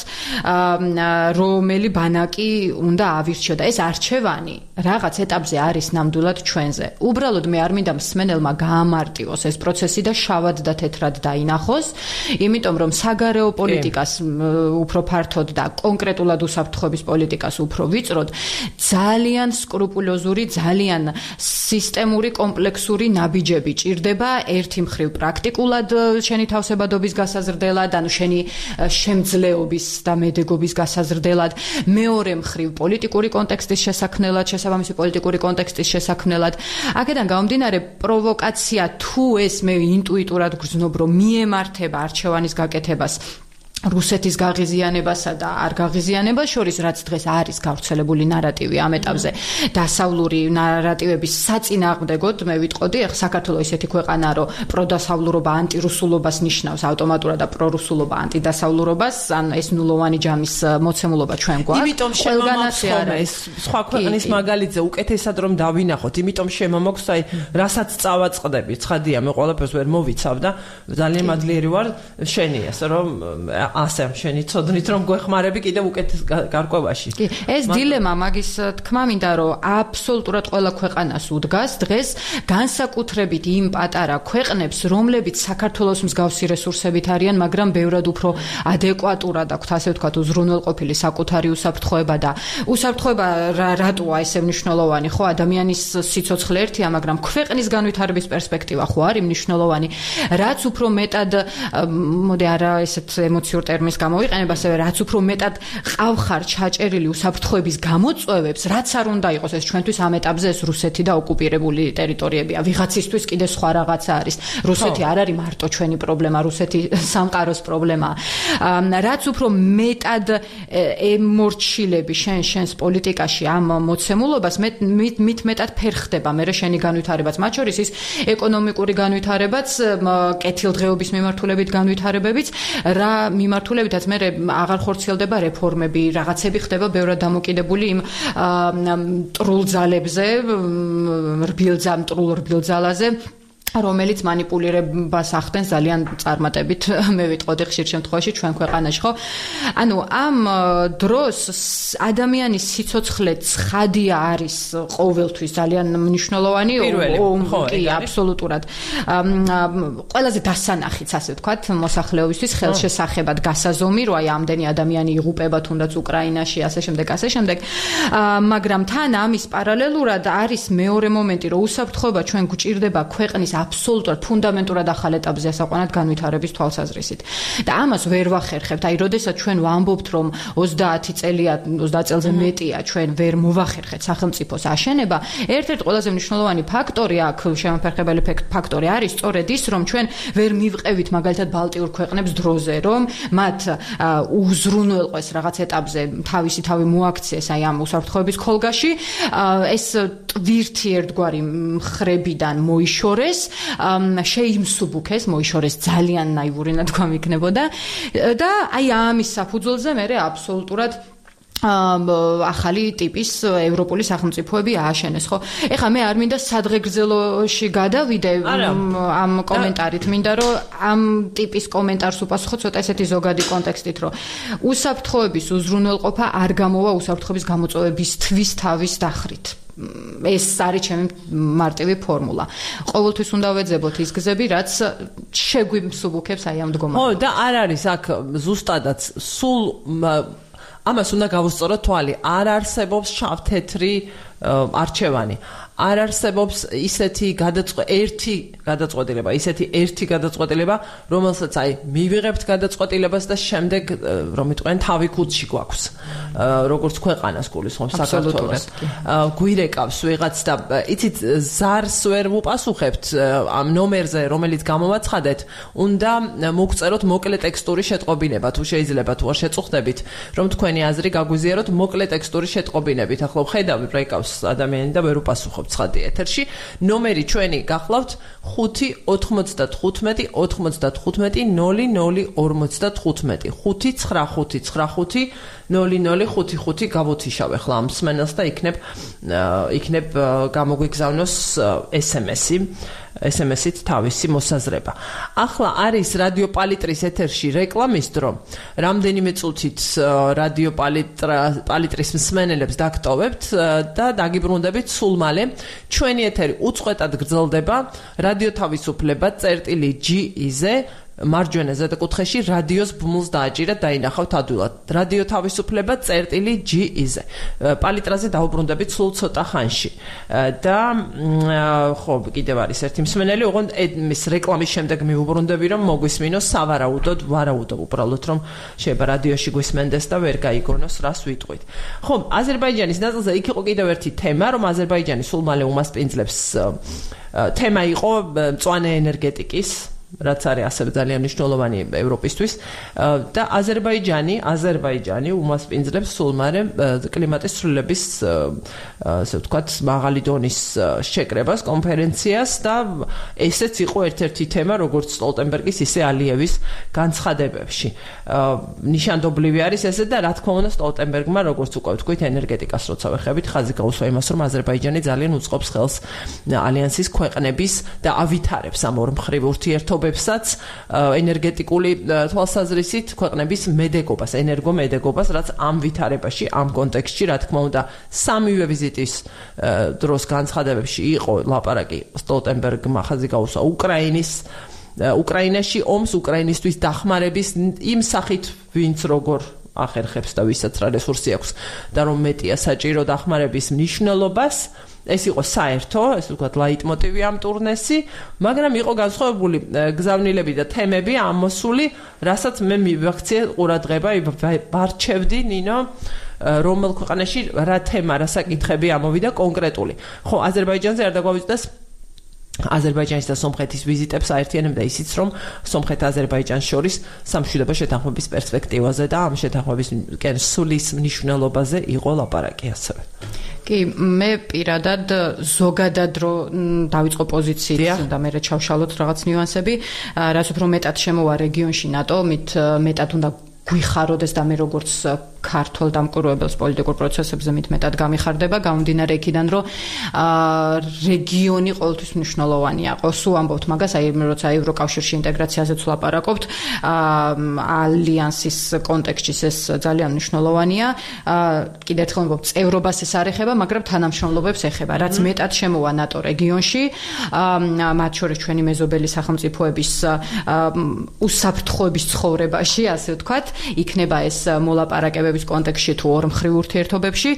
რომელი ბანაკი უნდა ავირჩიო და ეს არჩევანი რაღაც ეტაპზე არის ნამდვილად ჩვენზე. უბრალოდ მე არ მინდა მსმენელმა გაამარტივოს ეს პროცესი და შავად და თეთრად დაინახოს, იმიტომ რომ საგარეო პოლიტიკას უფრო ფართოდ და კონკრეტულად უსაფრთხოების პოლიტიკას უფრო ვიწროდ, ძალიან სკრუპულოზური, ძალიან სისტემური, კომპლექსური ნაბიჯები ჭირდება ერთი მხრივ პრაქტიკულად შენი თავსებადობის გასაზრდელად, ანუ შენი შემძლეობის და მედეგობის გასაზრდელად, მეორე მხრივ პოლიტიკური კონტექსტის შესაქმნელად, შესაბამისი პოლიტიკური კონტექსტის შესაქმნელად. აქედან გამომდინარე, პროვოკაცია თუ ეს მე ინტუიტურად გრძნობ, რომ მიემართება არჩევანის გაკეთებას რუსეთის გაღიზიანებასა და არ გაღიზიანებას შორის, რაც დღეს არის გავრცელებული ნარატივი ამ ეტაპზე, დასავლური ნარატივების საწინააღმდეგოდ, მე ვიტყოდი, ახლა საქართველოს ისეთი ქვეყანა, რომ პროდასავლურობა ანტირუსულობას ნიშნავს ავტომატურად და პრორუსულობა ანტიდასავლურობას, ან ეს ნულოვანი ჯამის მოცემულობა ჩვენ გვაქვს. იმიტომ შემომაქვს ეს სხვა ქვეყნის მაგალითზე უკეთესად რომ დავინახოთ, იმიტომ შემომაქვს, აი, რასაც წავაწყდები, ცხადია, მე ყველაფერს ვერ მოვიცავ და ძალიან მადლიერი ვარ შენი, ასე რომ ასე შენი ცოდნით რომ გვეხმარები კიდევ უკეთეს გარკვევაში. კი, ეს დილემა მაგის თქმა მინდა რომ აბსოლუტურად ყველა ქვეყანას უდგას დღეს განსაკუთრებით იმ პატარა ქვეყნებს, რომლებიც საქართველოს მსგავსი რესურსებით არიან, მაგრამ ბევრად უფრო ადეკვატურად აქვთ, ასე ვთქვათ, უზრუნველყოფილი საკუთარი უსაფრთხოება და უსაფრთხოება რატოა ესე მნიშვნელოვანი, ხო, ადამიანის სიცოცხლე ერთია, მაგრამ ქვეყნის განვითარების პერსპექტივა ხო არის მნიშვნელოვანი, რაც უფრო მეტად მოდი არა ესეთ ემოციურ ტერმინს გამოვიყენებ, ასევე რაც უფრო მეტად ყავხარ ჩაჭერილი უსაფრთხოების გამოწვევებს, რაც არ უნდა იყოს ეს ჩვენთვის ამ ეტაპზე ეს რუსეთი და ოკუპირებული ტერიტორიებია. ვიღაცისთვის კიდე სხვა რაღაცა არის. რუსეთი არ არის მარტო ჩვენი პრობლემა, რუსეთი სამყაროს პრობლემაა. რაც უფრო მეტად ემორჩილები შენს პოლიტიკაში ამ მოცემულობას, მით მეტად ფერხდება მე შენი განვითარებაც, მათ შორის ის ეკონომიკური განვითარებაც, კეთილდღეობის მიმართულებით განვითარებებიც, რა მიმართულებითაც მე აღარ ხორციელდება რეფორმები, რაღაცები ხდება ბევრად დამოკიდებული იმ მტრულ ძალებზე, მტრულ რბილ ძალაზე, რომელიც манипулირებას ახდენს ძალიან წარმატებით, მე ვიტყოდი ხშირ შემთხვევაში ჩვენ ქვეყანაში, ხო? ანუ ამ დროს ადამიანის სიცოცხლე ცხადია არის ყოველთვის ძალიან მნიშვნელოვანი, კი, აბსოლუტურად. ყველაზე დასანახიც, ასე ვთქვათ, მოსახლეობისთვის ხელშესახებად გასაზომი, რომ აი ამდენი ადამიანი იღუპება თუნდაც უკრაინაში, ასე შემდეგ, ასე შემდეგ. მაგრამ თან ამის პარალელურად არის მეორე მომენტი, რომ უსაფრთხოება ჩვენ გვჭირდება ქვეყნის აბსოლუტურად ფუნდამენტურად ახალ ეტაპზე ასაყვანად განვითარების თვალსაზრისით. და ამას ვერ ვახერხებთ. აი, როდესაც ჩვენ ვამბობთ, რომ 30 წელია, 30 წელზე მეტია ჩვენ ვერ მოვახერხეთ სახელმწიფოს აშენება, ერთ-ერთი ყველაზე მნიშვნელოვანი ფაქტორი აქ, შემოფერხებელი ფაქტორი არის სწორედ ის, რომ ჩვენ ვერ მივყევით მაგალითად ბალტიურ ქვეყნებს დროზე, რომ მათ უზრუნველყვეს რაღაც ეტაპზე თავისი თავი მოაქციეს აი ამ უსაფრთხოების ქოლგაში, ეს ტვირთი ერთგვარი მხრებიდან მოიშორეს, შეიმსუბუქეს, მოიშორეს ძალიან ნაივური ნათქვამი იქნებოდა და აი ამის საფუძველზე მე აბსოლუტურად ახალი ტიპის ევროპული სახელმწიფოები ააშენეს, ხო? ეხლა მე არ მინდა სადღეგრძელოში გადავიდე ამ კომენტარით, მინდა რომ ამ ტიპის კომენტარს უპასუხო ცოტა ესეთი ზოგადი კონტექსტით, რომ უსაფრთხოების უზრუნველყოფა არ გამოვა უსაფრთხოების გამოწვევებისთვის თავის დახრით. ეს არის ჩემი მარტივი ფორმულა. ყოველთვის უნდა ვეძებოთ ის გზები, რაც შეგვიმსუბუქებს აი ამ მდგომარეობას. ხო, და არ არის აქ ზუსტადაც სულ ამას უნდა გავუსწოროთ თვალი. არ არსებობს შავ-თეთრი არჩევანი. არ არსებობს ისეთი ერთი გადაწყვეტილება, რომელსაც აი მივიღებთ გადაწყვეტილებას და შემდეგ რომ იტყვიან თავი ქუდში გვაქვს. როგორც ქვეყანას გულისხმობს საქართველოს. გვირეკავს ვიღაც და იცით ზარს ვერ ვუპასუხებთ ამ ნომერზე, რომელიც გამოვაცხადეთ, უნდა მოგწეროთ მოკლე ტექსტური შეტყობინება, თუ შეიძლება თუ არ შეწუხდებით, რომ თქვენი აზრი გაგვიზიაროთ მოკლე ტექსტური შეტყობინებით. ახლა ვხედავ ბრეკავს ადამიანი და ვერ ვუპასუხობ ცხადი ეთერში. ნომერი ჩვენი გახლავთ 595 95 00 55 595 0055 გავუთიშავ ახლა ამ მსმენელს და იქნებ გამოგვიგზავნოს SMS-ით თავისი მოსაზრება. ახლა არის რადიო პალიტრის ეთერში რეკლამის დრო. რამდენიმე წუთით რადიო პალიტრის მსმენელებს დაგტოვებთ და დაგიბრუნდებით სულ მალე. ჩვენი ეთერი უწყვეტად გრძელდება რადიო თავისუფლება წერტილი.GE-ზე მარჯვენა ზედაკუთხეში რადიოს ბმულს დააჭირეთ დაინახავთ ადვილად. რადიო თავისუფლება წერტილი.GE-ზე. პალიტრაზე დაუბრუნდებით სულ ცოტა ხანში. და ხო, კიდევ არის ერთი მსმენელი, ოღონდ მის რეკლამის შემდეგ მივუბრუნდები, რომ მოგვისმინოს სავარაუდოდ, ვარაუდო უბრალოდ, რომ შეიძლება რადიოში გვისმენდეს და ვერ გაიგონოს, რას ვიტყვით. ხო, აზერბაიჯანის ნაწილზე იქ იყო კიდევ ერთი თემა, რომ აზერბაიჯანი სულ მალე უმასპინძლებს თემა იყო მწვანე ენერგეტიკის რაც არის ასევე ძალიან მნიშვნელოვანი ევროპისთვის და აზერბაიჯანი უმასპინძლებს სულ მალე კლიმატის ცვლილების ასე ვთქვათ მაღალი დონის შეკრებას კონფერენციას და ესეც იყო ერთ-ერთი თემა როგორც სტოლტენბერგის ისე ალიევის განცხადებებში. ნიშანდობლივი არის ესე და რა თქმა უნდა სტოლტენბერგმა როგორც უკვე ვთქვით ენერგეტიკას როცა ვეხებით ხაზი გაუსვა იმას რომ აზერბაიჯანი ძალიან უწყობს ხელს ალიანსის ქვეყნების და ავითარებს ამ ორ მხრივ ურთიერთობებსაც ენერგეტიკული თვალსაზრისით ქვეყნების მედეგობას, ენერგომედეგობას, რაც ამ ვითარებაში, ამ კონტექსტში, რა თქმა უნდა, სამივე ვიზიტის დროს განცხადებებში იყო ლაპარაკი სტოლტენბერგმა ხაზი გაუსვა უკრაინაში ომს, უკრაინისთვის დახმარების იმ სახით, ვინც როგორ ახერხებს და ვისაც რა რესურსი აქვს და რომ მეტია საჭირო დახმარების მნიშვნელობას. ეს იყო საერთო, ესე ვთქვათ, ლაიტმოტივი ამ ტურნესი, მაგრამ იყო განსხვავებული გზავნილები და თემები ამოსული, რასაც მე მივაქციე ყურადღება, ვარჩევდი ნინო, რომელ ქვეყანაში რა თემა, რა საკითხები ამოვიდა კონკრეტული. ხო, აზერბაიჯანზე არ დაგვავიწყდეს აზერბაიჯანის და სომხეთის ვიზიტებს აერთიანებდა ისიც, რომ სომხეთ-აზერბაიჯანს შორის სამშვიდობო შეთანხმების პერსპექტივაზე და ამ შეთანხმების სულის მნიშვნელობაზე იყო ლაპარაკი ასევე. კი, მე პირადად ზოგადად რო დავიწყო პოზიციით და მე ჩავშალოთ რაღაც ნიუანსები, რაც უფრო მეტად შემოვა რეგიონში ნატო, მით მეტად უნდა გვიხაროდეს და მე როგორც ქართულ დამკვირვებელს პოლიტიკურ პროცესებზე მეტად გამიხარდება გამომდინარე იქიდან რომ რეგიონი ყოველთვის მნიშვნელოვანია. სულ ამბობთ მაგას, როცა ევროკავშირში ინტეგრაციაზეც ვლაპარაკობთ, ალიანსის კონტექსტში ეს ძალიან მნიშვნელოვანია. კიდევ ერთხელ ვამბობ, წევრობას ეს არ ეხება, მაგრამ თანამშრომლობებს ეხება. რაც მეტად შემოვა ნატო რეგიონში, მათ შორის ჩვენი მეზობელი სახელმწიფოების უსაფრთხოების ცხოვრებაში, ასე ვთქვათ, იქნება ეს მოლაპარაკებების კონტექსტში თუ ორმხრივ ურთიერთობებში.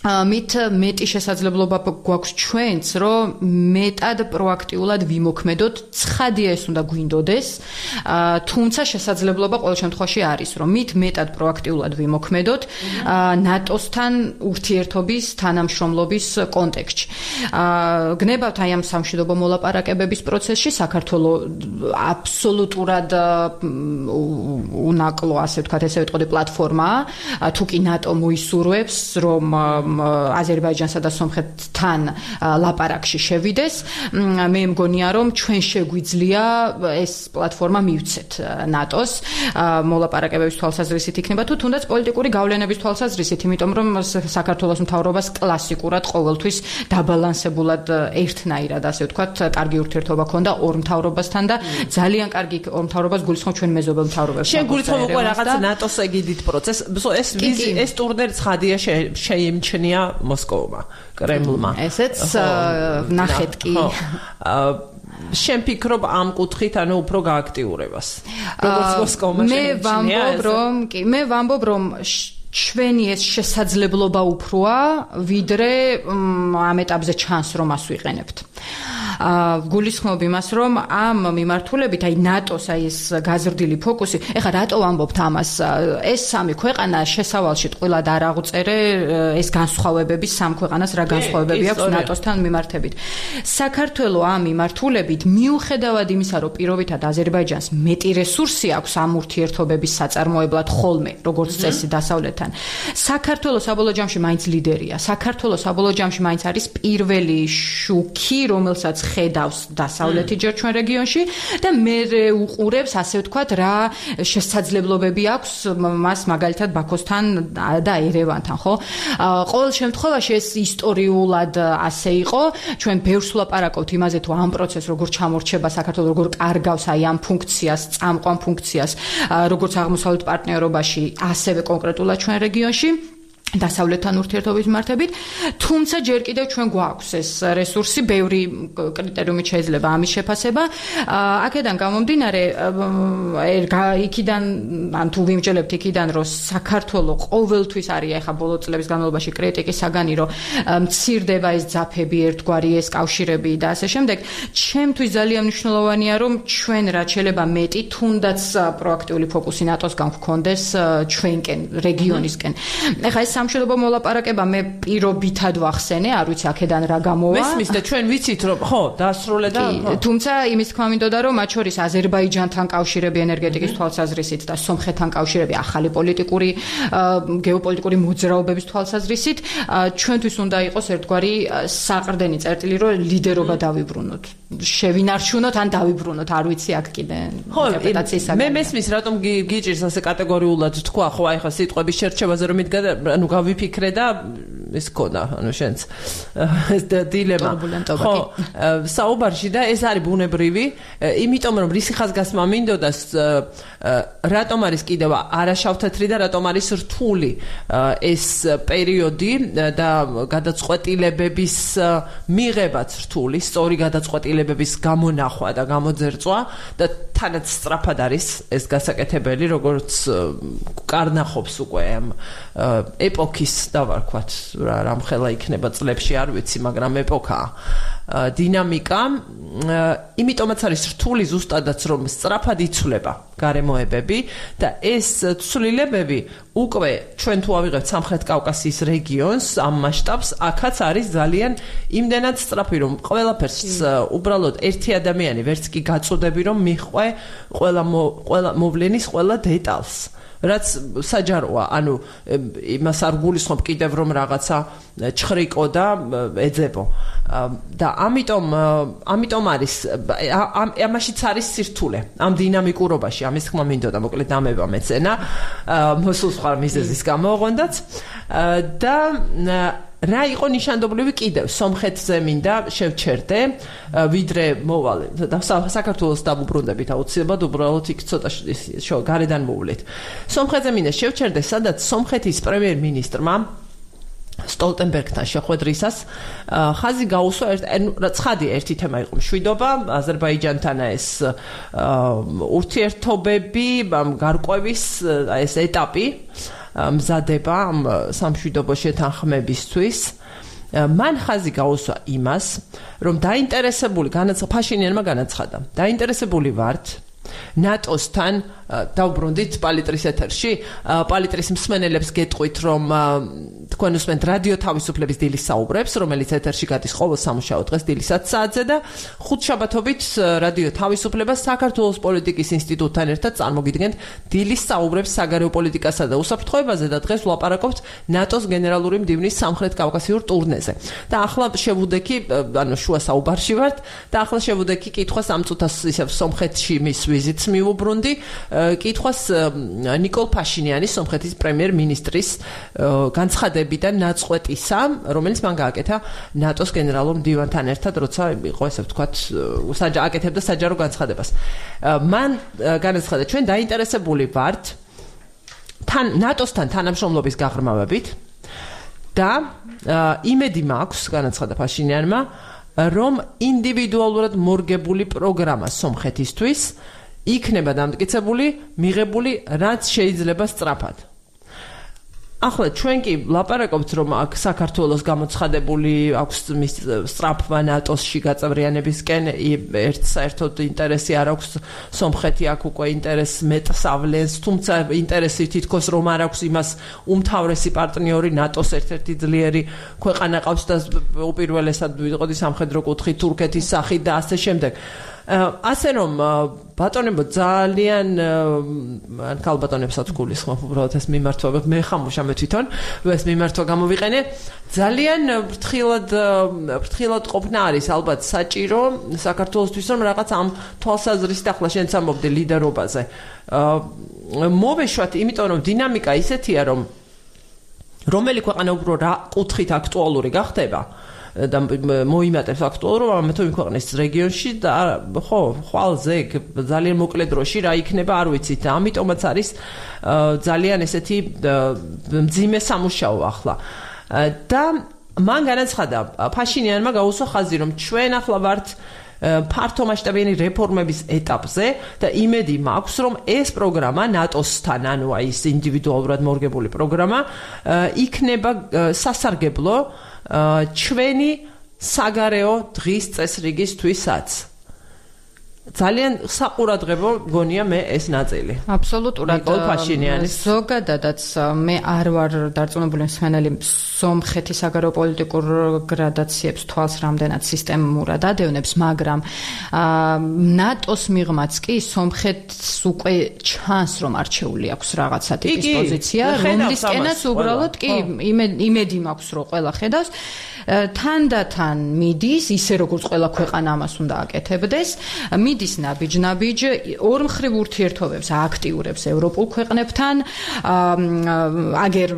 მით მეტი შესაძლებლობა გვაქვს ჩვენც, რომ მეტად პროაქტიულად ვიმოქმედოთ, ცხადია ეს უნდა გვინდოდეს, თუმცა შესაძლებლობა ყოველ შემთხვევაში არის, რომ მით მეტად პროაქტიულად ვიმოქმედოთ ნატოსთან ურთიერთობის, თანამშრომლობის კონტექსტში. გნებავთ აი ამ სამშვიდობო მოლაპარაკებების პროცესში საქართველოს აბსოლუტურად უნაკლო, ასე ვთქვათ, ესე ვიტყოდი პლატფორმაა, თუ კი ნატო მოისურვებს, რომ აზერბაიჯანსა და სომხეთთან ლაპარაკში შევიდეს. მე მგონია, რომ ჩვენ შეგვიძლია ეს პლატფორმა მივცეთ ნატოს მოლაპარაკებების თვალსაზრისით იქნება თუ თუნდაც პოლიტიკური გავლენების თვალსაზრისით, იმიტომ რომ საქართველოს მთავრობას კლასიკურად ყოველთვის დაბალანსებულად ერთნაირად, ასე ვთქვათ, კარგი ურთიერთობა ჰქონდა ორ მთავრობასთან და ძალიან კარგი ორ მთავრობას გულისხმობ ჩვენ მეზობელ მთავრობებს. შენ გულისხმობ უკვე რაღაც ნატოს ეგიდით პროცესს. ეს ტურნირი ცხადია შეიმჩნია მოსკოვმა, კრემლმა. ესეც ნახეთ კი. შენ ფიქრობ ამ კუთხით, ანუ უფრო გააქტიურებას. როგორც მოსკოვმა შეიმჩნია. მე ვამბობ, რომ ჩვენი ეს შესაძლებლობა უფროა, ვიდრე ამ ეტაპზე ჩანს, რომ მას ვიყენებთ. გულისხმობ იმას, რომ ამ მიმართულებით, აი ნატოს აი ეს გაზრდილი ფოკუსი, ეხლა რატო ვამბობთ ამას? ეს სამი ქვეყანა შესავალში ტყუილად არ აღწერე ეს განსხვავებები, სამ ქვეყანას რა განსხვავებები აქვს ნატოსთან მიმართებით. საქართველო ამ მიმართულებით, მიუხედავად იმისა, რომ პირობითად აზერბაიჯანს მეტი რესურსი აქვს ამ ურთიერთობების საწარმოებლად ხოლმე, როგორც წესი დასავლეთთან, საქართველო საბოლოო ჯამში მაინც ლიდერია. საქართველო საბოლოო ჯამში მაინც არის პირველი შუქი, რომელსაც ხედავს დასავლეთი ჯერ ჩვენ რეგიონში და მე უყურებს, ასე ვთქვათ, რა შესაძლებლობები აქვს მას მაგალითად ბაქოსთან და ერევანთან, ხო? ყოველ შემთხვევაში ეს ისტორიულად ასე იყო. ჩვენ ბევრს ვლაპარაკობთ იმაზე, თუ ამ პროცესს როგორ ჩამორჩება საქართველოს, როგორ კარგავს აი ამ ფუნქციას, წამყვან ფუნქციას, როგორც აღმოსავლეთ პარტნიორობაში, ასევე კონკრეტულად ჩვენ რეგიონში. დასავლეთთან ურთიერთობის მიმართებით, თუმცა ჯერ კიდევ ჩვენ გვაქვს ეს რესურსი, ბევრი კრიტერიუმით შეიძლება ამის შეფასება. აქედან გამომდინარე, იქიდან ან თუ ვიმჯელებთ იქიდან, რომ საქართველოს ყოველთვის არის ახლა ბოლო წლების განმავლობაში კრიტიკის საგანი, რომ მცირდება ეს ძაფები, ერთგვარი ეს კავშირები და ასე შემდეგ. ჩემთვის ძალიან მნიშვნელოვანია, რომ ჩვენ რაც შეიძლება მეტი, თუნდაც პროაქტიული ფოკუსი ნატოსგან გვქონდეს ჩვენკენ, რეგიონისკენ. ახლა ეს სამშვიდობო მოლაპარაკება მე პირობითად ვახსენე, არ ვიცი აქედან რა გამოვა. მესმის და ჩვენ ვიცით რომ ხო, დაასრულეთ. თუმცა იმის თქმა მინდოდა, რომ მათ შორის აზერბაიჯანთან კავშირები ენერგეტიკის თვალსაზრისით და სომხეთთან კავშირები ახალი პოლიტიკური, გეოპოლიტიკური მოძრაობების თვალსაზრისით, ჩვენთვის უნდა იყოს ერთგვარი საყრდენი წერტილი, რომ ლიდერობა დავიბრუნოთ. შევინარჩუნოთ ან დავიბრუნოთ, არ ვიცი აქ კიდე ინტერპრეტაციის საგანი. მე მესმის, რატომ გიჭირს ასე კატეგორიულად თქვა, ხო, აი ხა სიტყვების შერჩევაზე რომ მიდგა, ანუ გავიფიქრე და ეს ქონა, ანუ შენც ეს დილემა. ხო, საუბარში და ეს არის ბუნებრივი, იმიტომ რომ რისი ხაზგასმა მინდოდა რატომ არის კიდევ არაშავთეთრი და რატომ არის რთული ეს პერიოდი და გადაწყვეტილებების მიღებაც რთული, სწორი გადაწყვეტილებების გამონახვა და გამოძერწვა და თანაც სწრაფად არის ეს გასაკეთებელი, როგორც კარნახობს უკვე ამ ეპოქის დავარქვათ, რამხელა იქნება წლებში, არ ვიცი, მაგრამ ეპოქაა. დინამიკა, იმიტომაც არის რთული ზუსტადაც, რომ სწრაფად იცვლება გარემოებები და ეს ცვლილებები უკვე ჩვენ თუ ავიღებთ სამხრეთ კავკასიის რეგიონს, ამ მასშტაბს, აქაც არის ძალიან იმდენად სწრაფი, რომ ყველაფერს უბრალოდ ერთი ადამიანი ვერც კი გაწოდები, რომ მიხვე ყველა მოვლენის ყველა დეტალს. რაც საჯაროა, ანუ იმას არ გულისხმობ კიდევ რომ რაღაცა ჩხრიკო და ეძებო. და ამიტომ არის ამაშიც არის სირთულე. ამ დინამიკურობაში, ამის თქმა მინდოდა, მოკლედ ამება მეცენა, მოსულ სხვა მიზეზის გამო ოღონდაც და რა იყო ნიშანდობლივი კიდევ სომხეთზე მინდა შევჩერდე ვიდრე მოვალე და საქართველოს დავუბრუნდებით აუცილებლად უბრალოდ იქ ცოტა გარედან მოვლით სომხეთზე მინდა შევჩერდე სადაც სომხეთის პრემიერ-მინისტრმა სტოლტენბერგთან შეხვედრისას ხაზი გაუსვა ცხადი ერთი თემა იყო მშვიდობა აზერბაიჯანთან ეს ურთიერთობები გარკვევის ეს ეტაპი მზადება ამ სამშვიდობო შეთანხმებისთვის მან ხაზი გაუსვა იმას რომ დაინტერესებული ფაშინიანმა განაცხადა დაინტერესებული ვართ ნატოსთან დავბრუნდით პალიტრის ეთერში პალიტრის მსმენელებს გეტყვით რომ თქვენ უსმენთ რადიო თავისუფლების დილის საუბრებს რომელიც ეთერში გადის ყოველ სამუშაო დღეს დილის 10 საათზე და ხუთშაბათობით რადიო თავისუფლება საქართველოს პოლიტიკის ინსტიტუტთან ერთად წარმოგიდგენთ დილის საუბრებს საგარეო პოლიტიკასა და უსაფრთხოებაზე და დღეს ვლაპარაკობთ ნატოს გენერალური მდივნის სამხრეთ კავკასიურ ტურნეზე და ახლა შევუდექი ანუ შუა საუბარში ვართ და ახლა შევუდექი კითხვას ამ წუთას ისევ სომხეთში მის ვიზიტს მიუბრუნდი კითხვას ნიკოლ ფაშინიანის სომხეთის პრემიერ-მინისტრის განცხადებიდან ნაწყვეტისა, რომელიც მან გააკეთა ნატოს გენერალურ მდივანთან ერთად, როცა იყო ესე ვთქვათ, აკეთებდა საჯარო განცხადებას. მან განაცხადა, ჩვენ დაინტერესებული ვართ ნატოსთან თანამშრომლობის გაღრმავებით და იმედი მაქვს, განაცხადა ფაშინიანმა, რომ ინდივიდუალურად მორგებული პროგრამა სომხეთისთვის იქნება დამტკიცებული, მიღებული, რაც შეიძლება სწრაფად. ახლა ჩვენ კი ლაპარაკობთ, რომ აქ საქართველოს გამოცხადებული აქვს მის სწრაფმა ნატოსში გაწევრიანებისკენ ერთ საერთოდ ინტერესი არ აქვს სომხეთი აქ უკვე ინტერესს მეტს ავლენს, თუმცა ინტერესი თითქოს რომ არ აქვს იმას უმთავრესი პარტნიორი ნატოს ერთ-ერთი ძლიერი ქვეყანა ყავს და უპირველესად ვიყოდი სამხედრო კუთხით თურქეთის სახით და ასე შემდეგ. ასე რომ ბატონებო ძალიან ან ქალბატონებსაც გულისხმობ უბრალოდ ეს მიმართვა მე ხამუშა მე თვითონ ეს მიმართვა გამოვიყენე ძალიან ფრთხილად ყოფნა არის ალბათ საჭირო საქართველოსთვის რომ რაღაც ამ თვალსაზრისით ახლა შენც ამბობდი ლიდერობაზე მოვეშვათ იმიტომ რომ დინამიკა ისეთია რომ რომელი ქვეყანა უფრო რა კუთხით აქტუალური გახდება და მოიმატებს აქტუალურობა ამ თუ ქვეყნის რეგიონში და ხო ხვალზე ძალიან მოკლე დროში რა იქნება არ ვიცით და ამიტომაც არის ძალიან ესეთი მძიმე სამუშაო ახლა და მან განაცხადა ფაშინიანმა გაუსვა ხაზი რომ ჩვენ ახლა ვართ ფართო მასშტაბიანი რეფორმების ეტაპზე და იმედი მაქვს რომ ეს პროგრამა ნატოსთან ანუ აი ეს ინდივიდუალურად მორგებული პროგრამა იქნება სასარგებლო ჩვენი საგარეო დღის წესრიგისთვისაც ძალიან საყურადღებო გონია მე ეს ნაწილი. აბსოლუტურად. ნიკოლ ფაშინიანის ზოგადადაც მე არ ვარ დარწმუნებული მსმენელი სომხეთის საგარეო პოლიტიკურ გრადაციებს თვალს რამდენად სისტემურად ადევნებს, მაგრამ ნატოს მიღმაც კი სომხეთს უკვე ჩანს რომ არჩეული აქვს რაღაცა ტიპის პოზიცია, რომლისკენაც უბრალოდ კი იმედი მაქვს რომ ყველა ხედავს თანდათან მიდის ისე როგორც ყველა ქვეყანა ამას უნდა აკეთებდეს მიდის ნაბიჯ ორმხრივ ურთიერთობებს აქტიურებს ევროპულ ქვეყნებთან აგერ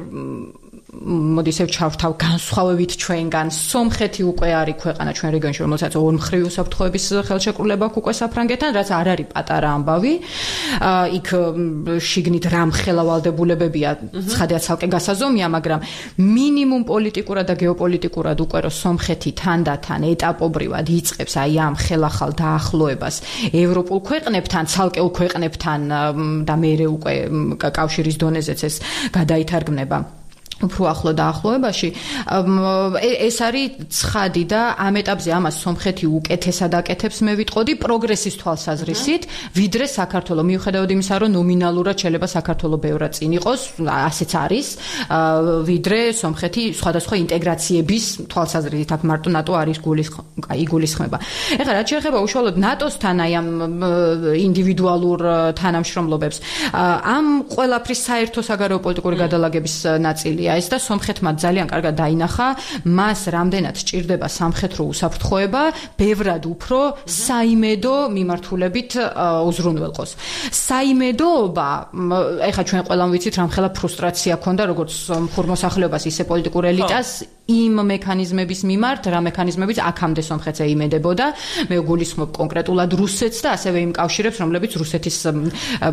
მოდით ჩავთავ განსხვავებით ჩვენგან სომხეთი უკვე არის ქვეყანა ჩვენ რეგიონში რომელსაც ორმხრივ უსაფრთხოების ხელშეკრულება აქვს უკვე საფრანგეთთან რაც არ არის პატარა ამბავი იქ შიგნით რამხელა ვალდებულებებია ცხადია ცალკე გასაზომია მაგრამ მინიმუმ პოლიტიკურად და გეოპოლიტიკურად უკვე რომ სომხეთი თანდათან ეტაპობრივად იწყებს აი ამ ხელახალ დაახლოებას ევროპულ ქვეყნებთან ცალკეულ ქვეყნებთან და მეორე უკვე კავშირის დონეზეც ეს გადაითარგმნება უფრო ახლო დაახლოებაში ეს არის ცხადი და ამ ეტაპზე ამას სომხეთი უკეთესად აკეთებს მე ვიტყოდი პროგრესის თვალსაზრისით ვიდრე საქართველოს მიუხედავად იმისა რომ ნომინალურად შეიძლება საქართველოს ბევრად წინ იყოს ასეც არის ვიდრე სომხეთი სხვადასხვა ინტეგრაციების თვალსაზრისით აქ მარტო ნატო არის იგულისხმება ეხლა რაც შეეხება უშუალოდ ნატოსთან აი ამ ინდივიდუალურ თანამშრომლობებს ამ ყველაფრის საერთო საგარეო პოლიტიკური გადალაგების ნაწილი ეს და სომხეთმა ძალიან კარგად დაინახა მას რამდენად სჭირდება სამხედრო უსაფრთხოება ბევრად უფრო საიმედო მიმართულებით უზრუნველყოს საიმედოობა ეხლა ჩვენ ყველამ ვიცით რამხელა ფრუსტრაცია ქონდა როგორც ხურმოსახლეობას ისე პოლიტიკურ ელიტას იმ მექანიზმების მიმართ რა მექანიზმებით აქამდე სომხეთს ეიმედებოდა მე გულისხმობ კონკრეტულად რუსეთს და ასევე იმ კავშირებს რომლებიც რუსეთის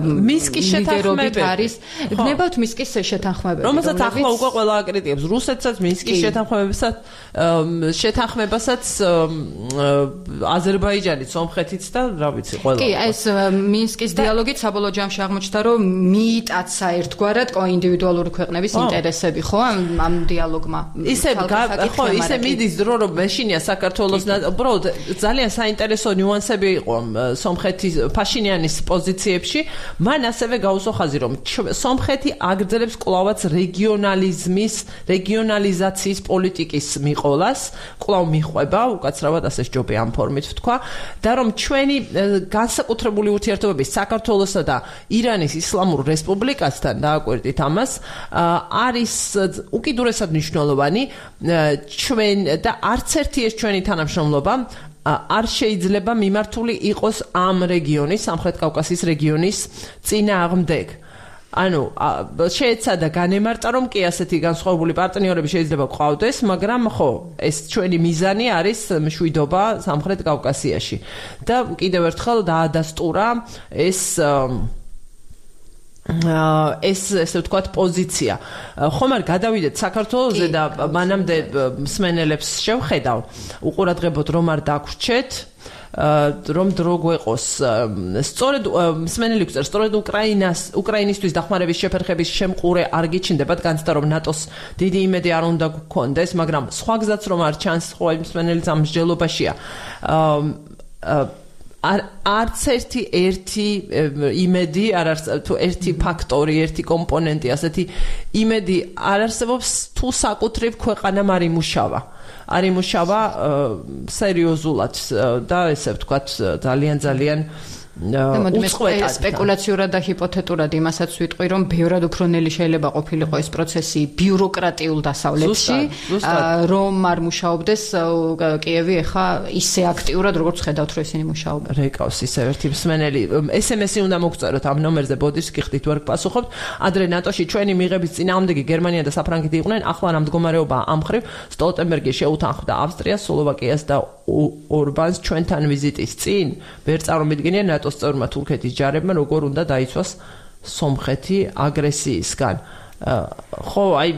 მინსკის შეთანხმებები არის გნებავთ მინსკის შეთანხმებები რომელსაც ახლა უკვე ყველა აკრიტიკებს რუსეთსაც მინსკის შეთანხმებასაც აზერბაიჯანიც სომხეთიც და რა ვიცი ყველა კი ეს მინსკის დიალოგით საბოლოო ჯამში აღმოჩნდა რომ მიიტაცა ერთგვარად ინდივიდუალური ქვეყნების ინტერესები ხო ამ დიალოგმა ხო ისე მიდის დრო რომ მეშინია საქართველოს უბრალოდ ძალიან საინტერესო ნიუანსები იყო სომხეთის ფაშინიანის პოზიციებში მან ასევე გაუსვა ხაზი რომ სომხეთი აგრძელებს კვლავაც რეგიონალიზაციის პოლიტიკის მიყოლას კვლავ მიხვება უკაცრავად ასე ჯობია ამ ფორმით ვთქვა და რომ ჩვენი განსაკუთრებული ურთიერთობები საქართველოსა და ირანის ისლამურ რესპუბლიკასთან დააკვირდით ამას არის უკიდურესად მნიშვნელოვანი ჩვენ და არც ერთი ეს ჩვენი თანამშრომლობა არ შეიძლება მიმართული იყოს ამ რეგიონის სამხრეთ კავკასიის რეგიონის წინააღმდეგ ანუ შეეცადა განემარტა რომ კი ასეთი განსხვავებული პარტნიორები შეიძლება გვყავდეს მაგრამ ხო ეს ჩვენი მიზანი არის მშვიდობა სამხრეთ კავკასიაში და კიდევ ერთხელ დაადასტურა ესე ვთქვათ პოზიცია. ხომ არ გადავიდეთ საქართველოზე და მანამდე მსმენელებს შევხედავ უყურადღებოდ რომ არ დაგვრჩეთ რომ დრო გვეყოს სწორედ მსმენელი გვწერს სწორედ უკრაინისთვის დახმარების შეფერხების შემყურე არ გიჩნდებათ განცდა რომ ნატოს დიდი იმედი არ უნდა გქონდეს მაგრამ სხვა გზაც რომ არ ჩანს ხო მსმენელიც ამ მსჯელობაშია არც ერთი იმედი არ არსებობს თუ ერთი ფაქტორი, ერთი კომპონენტი, ასეთი იმედი არ არსებობს თუ საკუთრივ ქვეყანამ არ იმუშავა. არ იმუშავა სერიოზულად და ესე ვთქვათ ძალიან სპეკულაციურად და ჰიპოთეტურად იმასაც ვიტყვი რომ ბევრად უფრო ნელი შეიძლება ყოფილიყო ეს პროცესი ბიუროკრატიულ დასავლეთში რომ არ მუშაობდეს კიევი ახლა ისე აქტიურად როგორც ხედავთ რომ ისინი მუშაობენ რეკავს ისე ერთი მსმენელი SMS-ი უნდა მოგწეროთ ამ ნომერზე ბოდიშს გიხდით ვერ გპასუხობთ ადრე ნატოში ჩვენი მიღების წინააღმდეგი გერმანია და საფრანგეთი იყვნენ ახლა რა მდგომარეობა ამ ხრივ სტოლტენბერგი შეუთანხმდა ავსტრიას სლოვაკიას და ორბანს ჩვენთან ვიზიტის წინ ვერ წარმოვიდგენია ნატოს წევრმა თურქეთის ჯარებმა როგორ უნდა დაიცვას სომხეთი აგრესიისგან ხო აი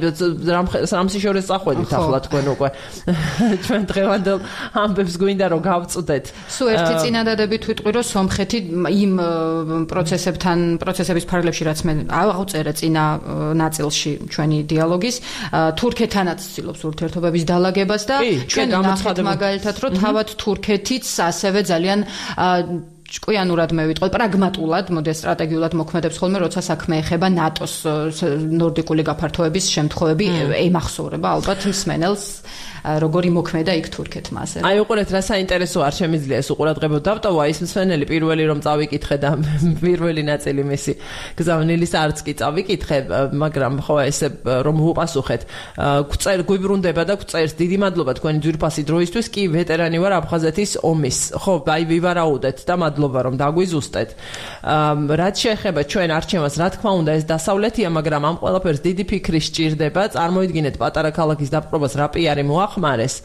სამსიშორეს წახვედით ახლა თქვენ უკვე ჩვენ დღევანდელ ამბებს გვინდა რომ გავწვდეთ სულ ერთი წინადადებით ვიტყვი რომ სომხეთი იმ პროცესების ფარგლებში რაც მე ავწერე წინა ნაწილში ჩვენი დიალოგის თურქეთთანაც ცდილობს ურთიერთობების დალაგებას და ჩვენ ნახეთ მაგალითად რომ თავად თურქეთიც ასევე ძალიან ჭკვიანურად მე ვიტყვი პრაგმატულად მოდი სტრატეგიულად მოქმედებს ხოლმე როცა საქმე ეხება ნატოს ნორდიკული გაფართოების შემთხვევები ემახსოვრება ალბათ მსმენელს როგორი მოქმედა იქ თურქეთმა ასე აი უყურეთ რა საინტერესო არ შემიძლია ეს უყურადღებოდ დავტოვა ის მსმენელი პირველი რომ წავიკითხე და პირველი ნაწილი მისი გზავნილის არც კი წავიკითხე მაგრამ ხო ესე რომ უპასუხეთ გვიბრუნდება და გვწერს დიდი მადლობა თქვენი ძვირფასი დროისთვის კი ვეტერანი ვარ აფხაზეთის ომის ხო აი ვივარაუდეთ და მადლობა რომ დაგვიზუსტეთ რაც შეეხება ჩვენ არჩევანს რა თქმა უნდა ეს დასავლეთია მაგრამ ამ ყველაფერს დიდი ფიქრი სჭირდება წარმოიდგინეთ პატარა ქალაქის დაპყრობას რა პიარი მოახმარეს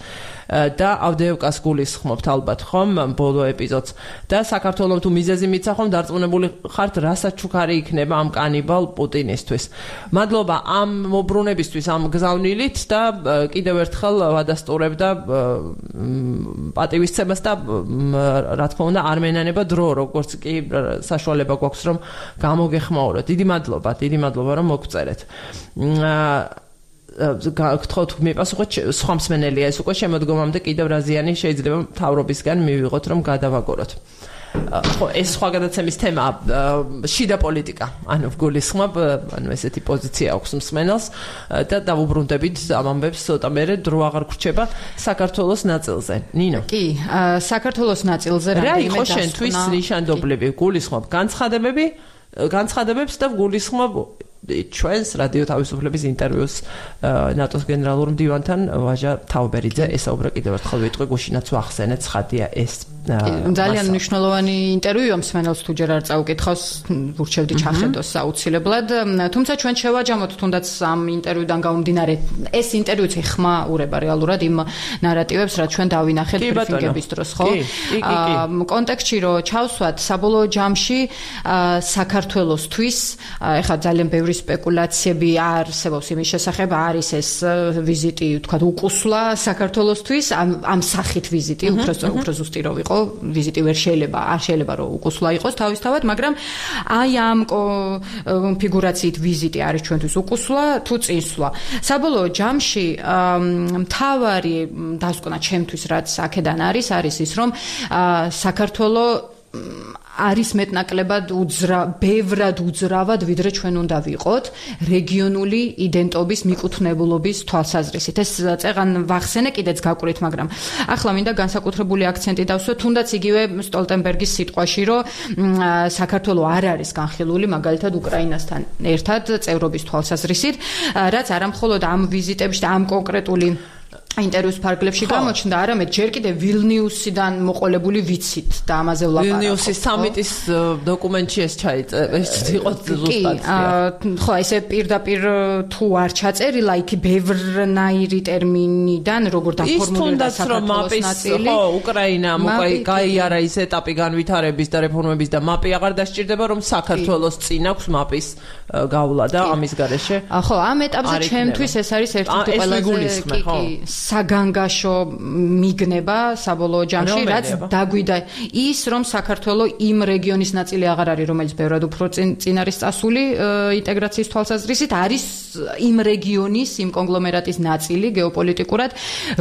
და ავდეევკას გულისხმობთ ალბათ ხომ ბოლო ეპიზოდს და საქართველოს თუ მიზეზი მიცა ხომ დარწმუნებული ხართ რასაც ჩუქარი იქნება ამ კანიბალ პუტინისთვის მადლობა ამ მობრუნებისთვის ამ გზავნილით და კიდევ ერთხელ ვადასტურებ და პატივისცემას და რა თქმა უნდა არ მენანება დრო როგორც კი საშუალება გვაქვს რომ გამოგეხმაუროთ დიდი მადლობა რომ მოგწერეთ გთხოვთ მიპასუხოთ სხვა მსმენელია ეს უკვე შემოდგომამდე კიდევ რაზიანი შეიძლება მთავრობისგან მივიღოთ რომ გადავაგოროთ. ხო ეს სხვა გადაცემის თემა შიდა პოლიტიკა ანუ გულისხმობ ანუ ესეთი პოზიცია აქვს მსმენელს და დავუბრუნდებით ამ ამბებს ცოტა მერე დრო აღარ გრჩება საქართველოს ნაწილზე. ნინო კი საქართველოს ნაწილზე რა იყო შენთვის ნიშანდობლები გულისხმობ განცხადებებს და გულისხმობ ჩვენს რადიო თავისუფლების ინტერვიუს ნატოს გენერალურ მდივანთან ვაჟა თაუბერიძე ესაუბრა კიდევ ერთხელ ვიტყვი გუშინაც ვახსენეთ ცხადია ეს ძალიან მნიშვნელოვანი ინტერვიუა მსმენელს თუ ჯერ არ წაუკითხავს ვურჩევდი ჩახედოს აუცილებლად თუმცა ჩვენ შევაჯამოთ თუნდაც ამ ინტერვიუდან გამომდინარე ეს ინტერვიუც ეხმა ურება რეალურად იმ ნარატივებს რაც ჩვენ დავინახეთ ბრიფინგების დროს ხო კონტექსტში რომ ჩავსვათ საბოლოო ჯამში საქართველოსთვის ეხლა ძალიან ბევრი სპეკულაციები არსებობს იმის შესახებ არის ეს ვიზიტი თქვა უკუსლა საქართველოსთვის ამ სახით ვიზიტი უფრო ზუსტი რო ვიყო ვიზიტი ვერ არ შეიძლება რომ უკუსლა იყოს თავისთავად მაგრამ აი ამ კონფიგურაციით ვიზიტი არის ჩვენთვის უკუსლა თუ წინსვლა საბოლოო ჯამში მთავარი დასკვნა ჩემთვის რაც აქედან არის ის რომ საქართველოს არის მეტნაკლებად ბევრად უძრავად ვიდრე ჩვენ უნდა ვიყოთ რეგიონული იდენტობის მიკუთვნებულობის თვალსაზრისით ეს წეღან ვახსენე კიდეც გაკვირით მაგრამ ახლა მინდა განსაკუთრებული აქცენტი დავსვე თუნდაც იგივე სტოლტენბერგის სიტყვაში რომ საქართველოს არ არის განხილული მაგალითად უკრაინასთან ერთად წევრობის თვალსაზრისით რაც არამხოლოდ ამ ვიზიტებში და ამ კონკრეტული ინტერვიუს ფარგლებში გამოჩნდა, არამედ ჯერ კიდევ ვილნიუსიდან მოყოლებული ვიცით და ამაზე ვლაპარაკობ. ვილნიუსის სამიტის დოკუმენტში ეს იყო ზუსტად. ხო, ესე პირდაპირ თუ არ ჩაწერილა, იქ ბევრნაირი ტერმინიდან, როგორ დაფორმულირდა საქართველოს ნაწილი. ხო, უკრაინა გაიარა ის ეტაპი განვითარების და რეფორმების და მაპი აღარ დასჭირდება, რომ საქართველოს წინ აქვს მაპის გავლა და ამის გარეშე. ხო, ამ ეტაპზე ჩემთვის ეს არის ერთ-ერთი ყველაზე საგანგაშო მიგნება საბოლოო ჯამში, რაც დაგვიდა ის, რომ საქართველოს იმ რეგიონის ნაწილი აღარ არის, რომელიც ბევრად უფრო წინ არის წასული ინტეგრაციის თვალსაზრისით, არის იმ რეგიონის, იმ კონგლომერატის ნაწილი გეოპოლიტიკურად,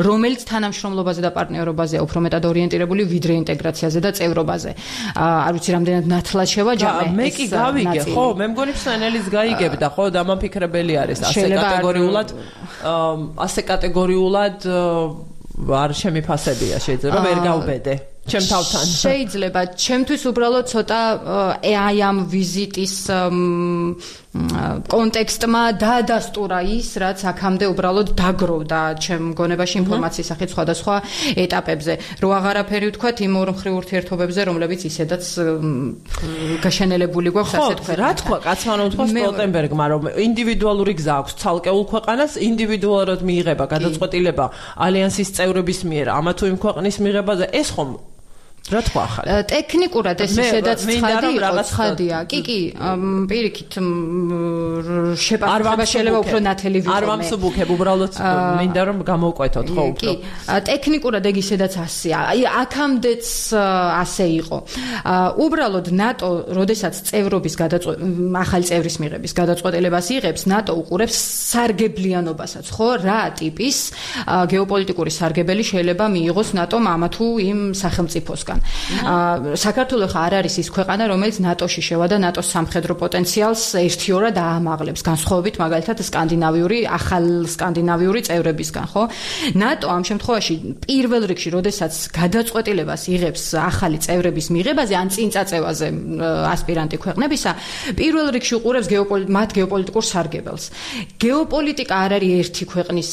რომელიც თანამშრომლობაზე და პარტნიორობაზეა უფრო მეტად ორიენტირებული ვიდრე ინტეგრაციაზე და წევრობაზე. არ ვიცი, რამდენად ნათლად შევაჯამე. მე კი გავიგე, ხო, მე მგონი მსმენელის გაიგებდა, ხო, დამაფიქრებელი არის ასე კატეგორიულად არ შემიფასებია შეიძლება ვერ გავბედე ჩემ თავთან შეიძლება ჩემთვის უბრალოდ ცოტა აი ამ ვიზიტის კონტექსტმა დაადასტურა ის რაც აქამდე უბრალოდ დაგროვდა ჩემ გონებაში ინფორმაციის სახით სხვადასხვა ეტაპებზე რო აღარაფერი ვთქვათ იმ ორმხრივ ურთიერთობებზე რომლებიც ისედაც გაშენელებული გვაქვს ასე თქვა რა თქვა კაცმანო თქვა სტოლტენბერგმა რომ ინდივიდუალური გზა აქვს ცალკეულ ქვეყანას ინდივიდუალურად მიიღება გადაწყვეტილება ალიანსის წევრების მიერ ამა თუ იმ ქვეყნის მიღებაზე ეს ხომ რა თქვა ახლა ტექნიკურად ეს ისედაც ცხადია კი პირიქით შეპასება შეიძლება უფრო ნათელი ვიყო არ ვამსუბუქებ უბრალოდ მინდა რომ გამოვკვეთოთ ხო უფრო ტექნიკურად ეგ ისედაც ასეა აი აქამდეც ასე იყო უბრალოდ ნატო როდესაც წევრობის ახალი წევრის მიღების გადაწყვეტილებას იღებს ნატო უყურებს სარგებლიანობასაც ხო რა ტიპის გეოპოლიტიკური სარგებელი შეიძლება მიიღოს ნატომ ამა თუ იმ სახელმწიფოსგან საქართველოს არ არის ის ქვეყანა, რომელიც ნატოში შევა და ნატოს სამხედრო პოტენციალს ერთიორად აამაღლებს, განსხვავებით მაგალითად ახალ სკანდინავიური წევრებისგან, ხო? ნატო ამ შემთხვევაში პირველ რიგში, როდესაც გადაწყვეტილებას იღებს ახალი წევრების მიღებაზე ან წინ წაწევაზე ასპირანტი ქვეყნებისა, პირველ რიგში უყურებს მათ გეოპოლიტიკურ სარგებელს. გეოპოლიტიკა არ არის ერთი ქვეყნის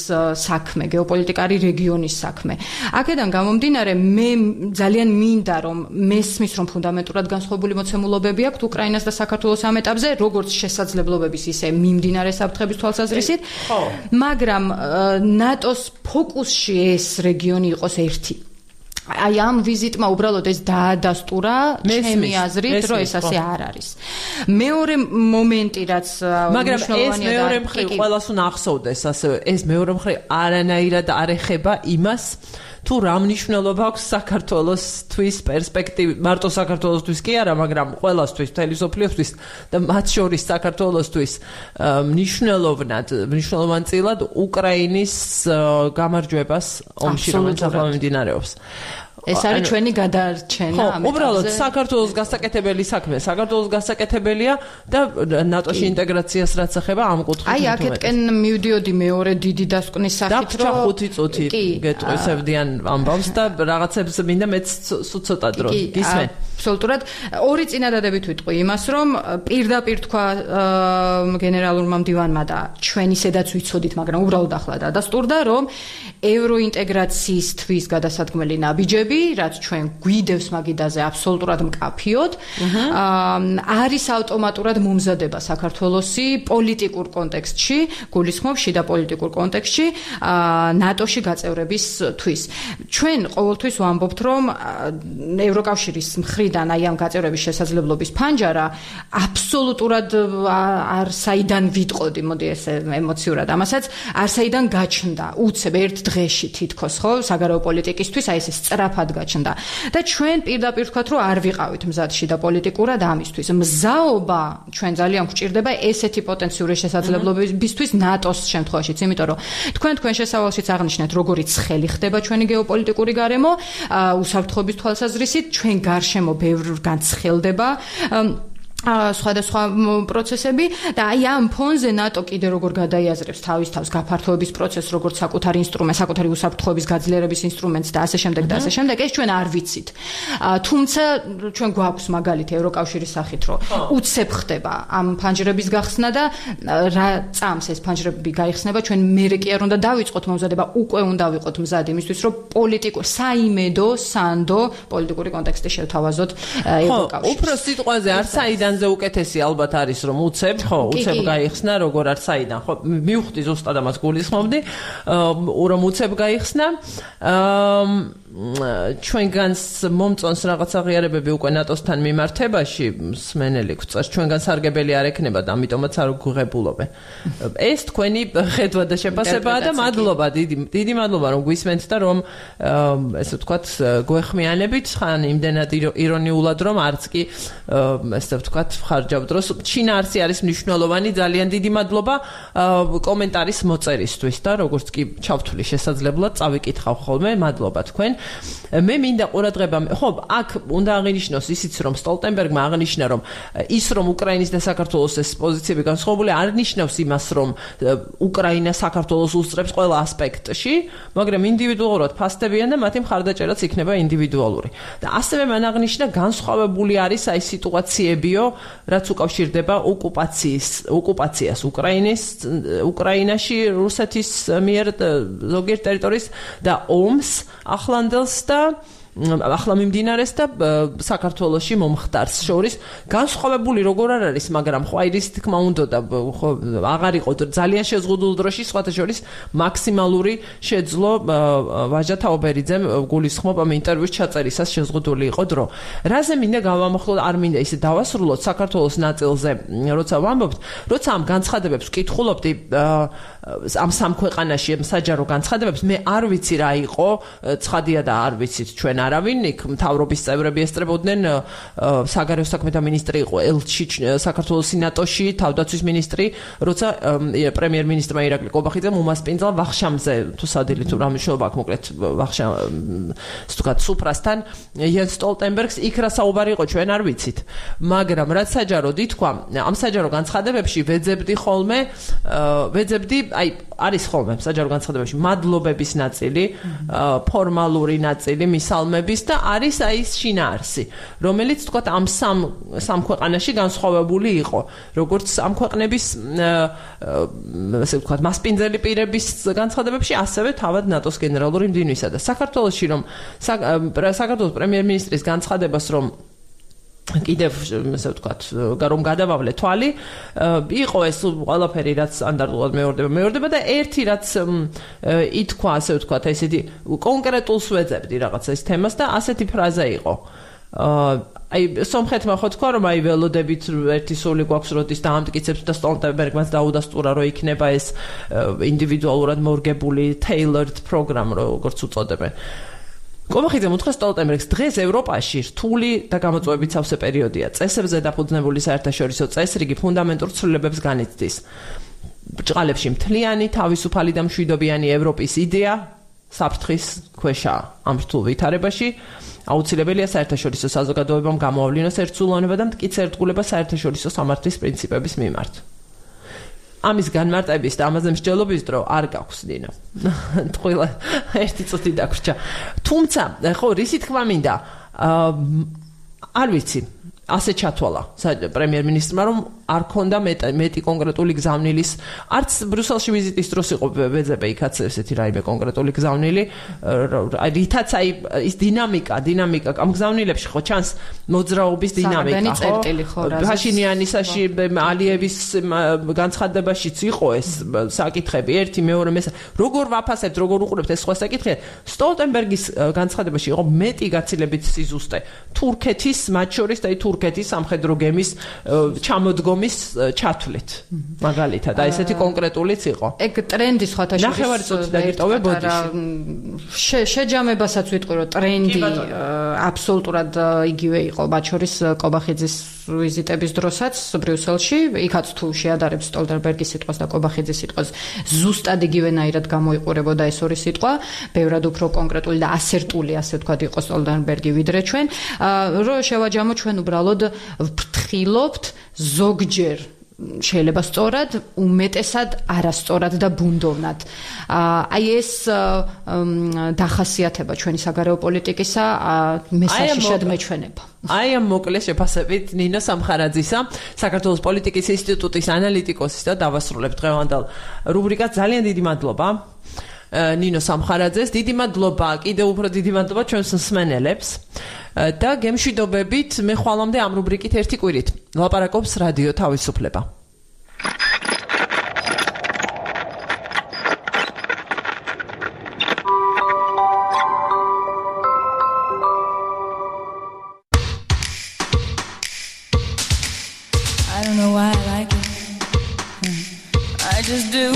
საქმე, გეოპოლიტიკა არის რეგიონის საქმე. აქედან გამომდინარე, მე ძალიან მინდა რომ მესმის რომ ფუნდამენტურად განსხვავებული მოცემულობები აქვს უკრაინას და საქართველოს ამ ეტაპზე როგორც შესაძლებლობების ისე მიმდინარე საფრთხების თვალსაზრისით მაგრამ ნატოს ფოკუსში ეს რეგიონი იყოს ერთი აი ამ ვიზიტმა უბრალოდ ეს დაადასტურა ჩემი აზრით რომ ეს ასე არ არის მეორე მომენტი რაც მაგრამ ეს მეორე მხრივ ყველას უნდა ახსოვდეს ასევე ეს მეორე მხრივ არანაირად არ ეხება იმას თუ რა მნიშვნელობა აქვს საქართველოსთვის პერსპექტივი, მარტო საქართველოსთვის კი არა, მაგრამ ყველასთვის, მთელი სოფლიოსთვის და მათ შორის საქართველოსთვის მნიშვნელოვანწილად უკრაინის გამარჯვებას ომში, რომელიც ახლა მიმდინარეობს. ეს არის ჩვენი გადარჩენა ამაზე. უბრალოდ საქართველოს გასაკეთებელი საქმე, საქართველოს გასაკეთებელია და ნატოში ინტეგრაციას რაც ეხება ამ კუთხით. აი, აქეთკენ მივდიოდი მეორე დიდი დასკვნის სახით, რომ 5 წუთი გეტყვისებდიან ამბავს და რაღაცებს მინდა მეც ცოტა დრო გისმენ. აბსოლუტურად ორი წინადადებით ვიტყვი იმას, რომ პირდაპირ თქვა გენერალურმა მდივანმა და ჩვენ ისედაც ვიცოდით, მაგრამ უბრალოდ ახლა დადასტურდა, რომ ევროინტეგრაციისთვის გადასადგმელი ნაბიჯები, რაც ჩვენ გვიდევს მაგიდაზე აბსოლუტურად მკაფიოდ, არის ავტომატურად მომზადება საქართველოსი პოლიტიკურ კონტექსტში, გულისხმობ შიდა პოლიტიკურ კონტექსტში, ნატოში გაწევრებისთვის. ჩვენ ყოველთვის ვამბობთ, რომ ევროკავშირის მხრიდან აი ამ გაწევრების შესაძლებლობის ფანჯარა აბსოლუტურად არ საიდან ვიტყოდი, მოდი ესე ემოციურად ამასაც, არ საიდან გაჩნდა, უცებ ერთ დღეში თითქოს, ხო, საგარეო პოლიტიკისთვის აი ესე სწრაფად გაჩნდა. და ჩვენ პირდაპირ ვთქვათ, რომ არ ვიყავით მზადში და პოლიტიკურად ამისთვის. მზაობა ჩვენ ძალიან გვჭირდება ესეთი პოტენციური შესაძლებლობებისთვის ნატოს შემთხვევაშიც, იმიტომ რომ თქვენ შესავალშიც აღნიშნეთ, როგორი ცხელი ხდება ჩვენი გეოპოლიტიკური გარემო, უსაფრთხოების თვალსაზრისით, ჩვენ გარშემო ბევრგან ცხელდება სხვადასხვა პროცესები და აი ამ ფონზე ნატო კიდე როგორ გადაიაზრებს თავის თავს გაფართოების პროცესს, როგორც საკუთარ ინსტრუმენტს, საკუთარი უსაფრთხოების გაძლიერების ინსტრუმენტს და ასე შემდეგ და ასე შემდეგ, ეს ჩვენ არ ვიცით. თუმცა ჩვენ გვაქვს მაგალითი ევროკავშირის სახით, რომ უცებ ხდება ამ ფანჯრების გახსნა და რა წამს ეს ფანჯრები გაიხსნება, ჩვენ მერე კი არ უნდა დავიწყოთ მომზადება, უკვე უნდა ვიყოთ მზად იმისთვის, რომ საიმედო, სანდო პოლიტიკური კონტექსტი შევთავაზოთ ევროკავშირს. უფრო სიტყვაზე არ საიდან ზე უკეთესი ალბათ არის რომ უცებ გაიხსნა როგორ არ საიდან ხო მივხვდი ზუსტად ამას გულისხმობდი რომ უცებ გაიხსნა ჩვენგანს მომწონს რაღაც აღიარებები უკვე ნატოსთან მიმართებაში მსმენელი გვწევს ჩვენგან სარგებელი არ ექნება და ამიტომაც არ გვღებულობენ ეს თქვენი ხედვა და შეფასებაა და მადლობა დიდი მადლობა რომ გვისმენთ და რომ ესე ვთქვათ გვეხმიანებით ხან იმდენად ირონიულად რომ არც კი ესე ვთქვათ ხარჯავ დროს ჩინარსი არის მნიშვნელოვანი ძალიან დიდი მადლობა კომენტარის მოწერისთვის და როგორც კი ჩავთვლი შესაძლებლად წავიკითხავ ხოლმე მადლობა თქვენ მე მინდა ყურადღება ხო აქ უნდა აღინიშნოს ისიც რომ სტოლტენბერგმა აღნიშნა რომ ის რომ უკრაინის და საქართველოს ეს პოზიციები განსხვავებული არ ნიშნავს იმას რომ უკრაინა საქართველოს უსწრებს ყველა ასპექტში მაგრამ ინდივიდუალურად ფასდებიან და მათი მხარდაჭერაც იქნება ინდივიდუალური და ასევე მან აღნიშნა განსხვავებული არის აი სიტუაციებიო რაც უკავშირდება ოკუპაციას უკრაინაში რუსეთის მიერ ზოგიერთ ტერიტორიის და ომს ახლანდელს და ახლა მიმდინარეს და საქართველოში მომხდარს შორის განსხვავებული როგორ არ არის მაგრამ ხო აი რის თქმა უნდა და ხო აღარ იყო ძალიან შეზღუდულ დროში სხვათა შორის მაქსიმალური შეძლო ვაჟა თაობერიძემ გულისხმობ ამ ინტერვიუს ჩაწერისას შეზღუდული იყო დრო რაზე მინდა გავამახვილოთ არ მინდა ისე დავასრულოთ საქართველოს ნაწილზე როცა ვამბობთ როცა ამ განცხადებებს ვკითხულობდი ამ სამ ქვეყანაში საჯარო განცხადებებს მე არ ვიცი რა იყო ცხადია და არ ვიცით ჩვენ არავინ იქ მთავრობის წევრები ესწრებოდნენ საგარეო საქმეთა მინისტრი იყო ელჩი საქართველოს სენატოში თავდაცვის მინისტრი როცა პრემიერ-მინისტრმა ირაკლი კობახიძემ უმასპინძლა ვახშამზე თუ სადილით თუ რა მნიშვნელობა აქვს მოკლედ ვახშამ სუფრასთან იენს სტოლტენბერგს იქ რა საუბარი იყო ჩვენ არ ვიცით მაგრამ რაც საჯაროდ ითქვა ამ საჯარო განცხადებებში ვეძებდი აი არის ხოლმე საჯარო განცხადებებში მადლობების ნაწილი ფორმალური ნაწილი მისალმების და არის აი ეს შინაარსი რომელიც თქვა ამ სამ ქვეყანაში განსხვავებული იყო როგორც ამ ქვეყნების ასე ვთქვათ მასპინძელი პირების განცხადებებში ასევე თავად ნატოს გენერალური მდივნისა და საქართველოში რომ საქართველოს პრემიერ-მინისტრის განცხადებას რომ კიდევ ასე ვთქვათ რომ გადავავლე თვალი იყო ეს ყველაფერი რაც სტანდარტულად მეორდება და ერთი რაც ითქვა ასე ვთქვათ ესეთი კონკრეტულს ვეძებდი რაღაცა ეს თემას და ასეთი ფრაზა იყო აი სომხეთმა ხო თქვა რომ აი ველოდებით ერთი სული გვაქვს როდის დაამტკიცებს და სტოლტენბერგმაც დაუდასტურა რომ იქნება ეს ინდივიდუალურად მორგებული tailored program როგორც უწოდებენ კობახიძემ უთხრა სტოლტენბერგს დღეს ევროპაში რთული და გამოწვევებით სავსე პერიოდია. წესებზე დაფუძნებული საერთაშორისო წესრიგი ფუნდამენტურ ცვლილებებს განიცდის. ბრჭყალებში მთლიანი, თავისუფალი და მშვიდობიანი ევროპის იდეა საფრთხის ქვეშაა. ამ რთულ ვითარებაში აუცილებელია საერთაშორისო საზოგადოებამ გამოავლინოს ერთსულოვნება და მტკიცე ერთგულება საერთაშორისო სამართლის პრინციპების მიმართ. ამის განმარტების და ამაზე მსჯელობის დრო არ გაქვს დინო. ტყუილა ერთი წუთი დაგვრჩა. თუმცა, ხო, რისი თქმა მინდა, არ ვიცი, ასე ჩათვალა პრემიერ-მინისტრმა, რომ არ ქონდა მეტი კონკრეტული გზავნილის, არც ბრიუსელში ვიზიტის დროს იყო ვეძებე იქაც ესეთი რაიმე კონკრეტული გზავნილი, რითაც აი ის დინამიკა ამ გზავნილებში ხო ჩანს მოძრაობის დინამიკა, ხო? ფაშინიანისაში ალიევის განცხადებაშიც იყო ეს საკითხები, ერთი, მეორე, მესამე. როგორ ვაფასებთ, როგორ უყურებთ ეს სხვა საკითხია? სტოლტენბერგის განცხადებაში იყო მეტი გაცილებით სიზუსტე თურქეთის, მათ შორის და თურქეთის სამხედრო გემის ჩამოდგომის ჩათვლით მაგალითად და ესეთი კონკრეტულიც იყო. ეგ ტრენდი სხვათა შორის ნახევარი წუთი დაგიტოვებოდი. შეჯამებასაც ვიტყვი, რომ ტრენდი აბსოლუტურად იგივე იყო, მათ შორის კობახიძის ვიზიტების დროსაც ბრიუსელში, იქაც თუ შეადარებს სტოლტენბერგის სიტყვას და კობახიძის სიტყვას, ზუსტად იგივენაირად გამოიყურებოდა ეს ორი სიტყვა, ბევრად უფრო კონკრეტული და ასერტული, ასე ვთქვათ, იყო სტოლტენბერგი ვიდრე ჩვენ. რომ შევაჯამო, ჩვენ უბრალოდ ვფრთხილობთ ზოგჯერ შეიძლება სწორად, უმეტესად არასწორად და ბუნდოვნად. აი ეს დახასიათება ჩვენი საგარეო პოლიტიკისა მესაშიშად მეჩვენება. აი ამ მოკლე შეფასებით ნინო სამხარაძისა, საქართველოს პოლიტიკის ინსტიტუტის ანალიტიკოსის და დავასრულებთ დღევანდელ რუბრიკას. ძალიან დიდი მადლობა ნინო სამხარაძეს, დიდი მადლობა, კიდევ უფრო დიდი მადლობა ჩვენს მსმენელებს და გემშვიდობებით მე ხვალამდე ამ რუბრიკით ერთი კვირით ლაპარაკობს რადიო თავისუფლება. I don't know why I like it. I just do.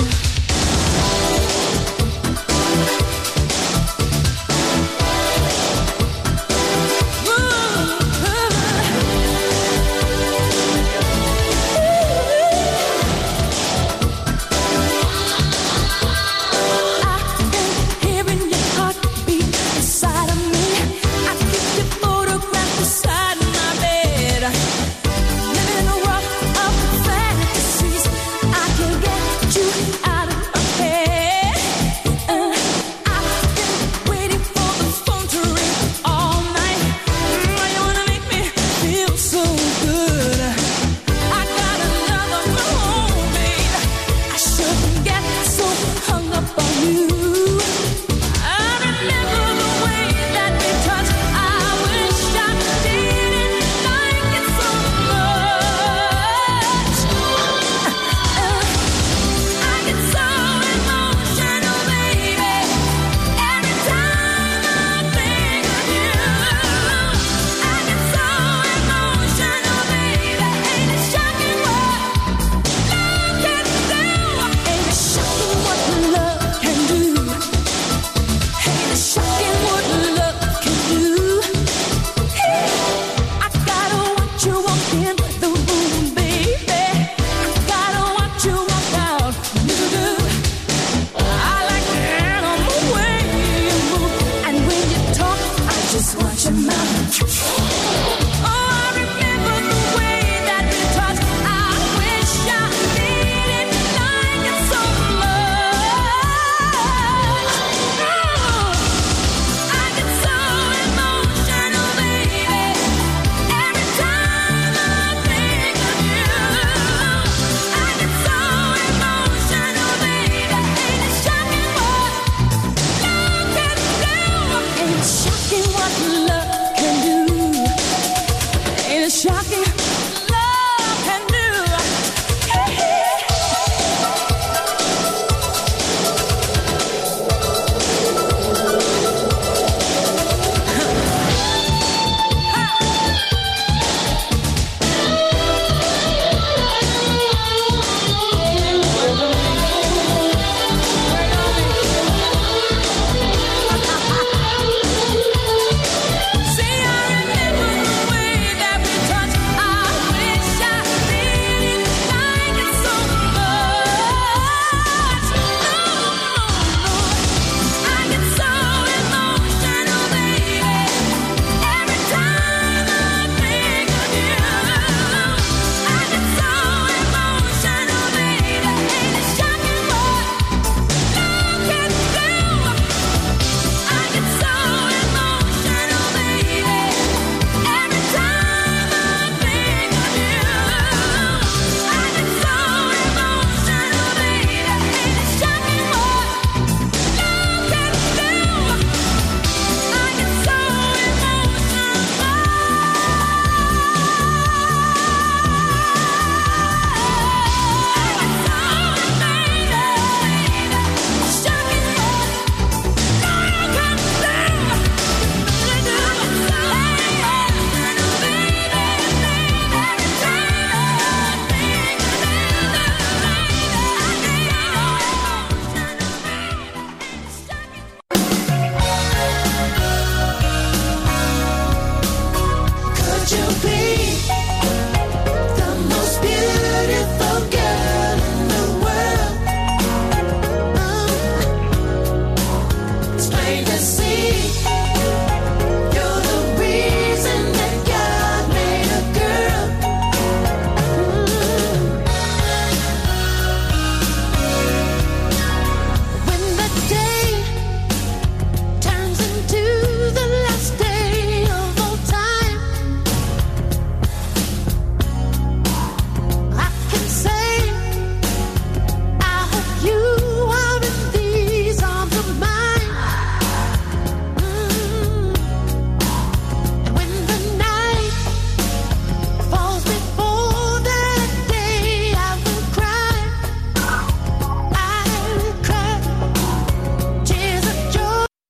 the sea.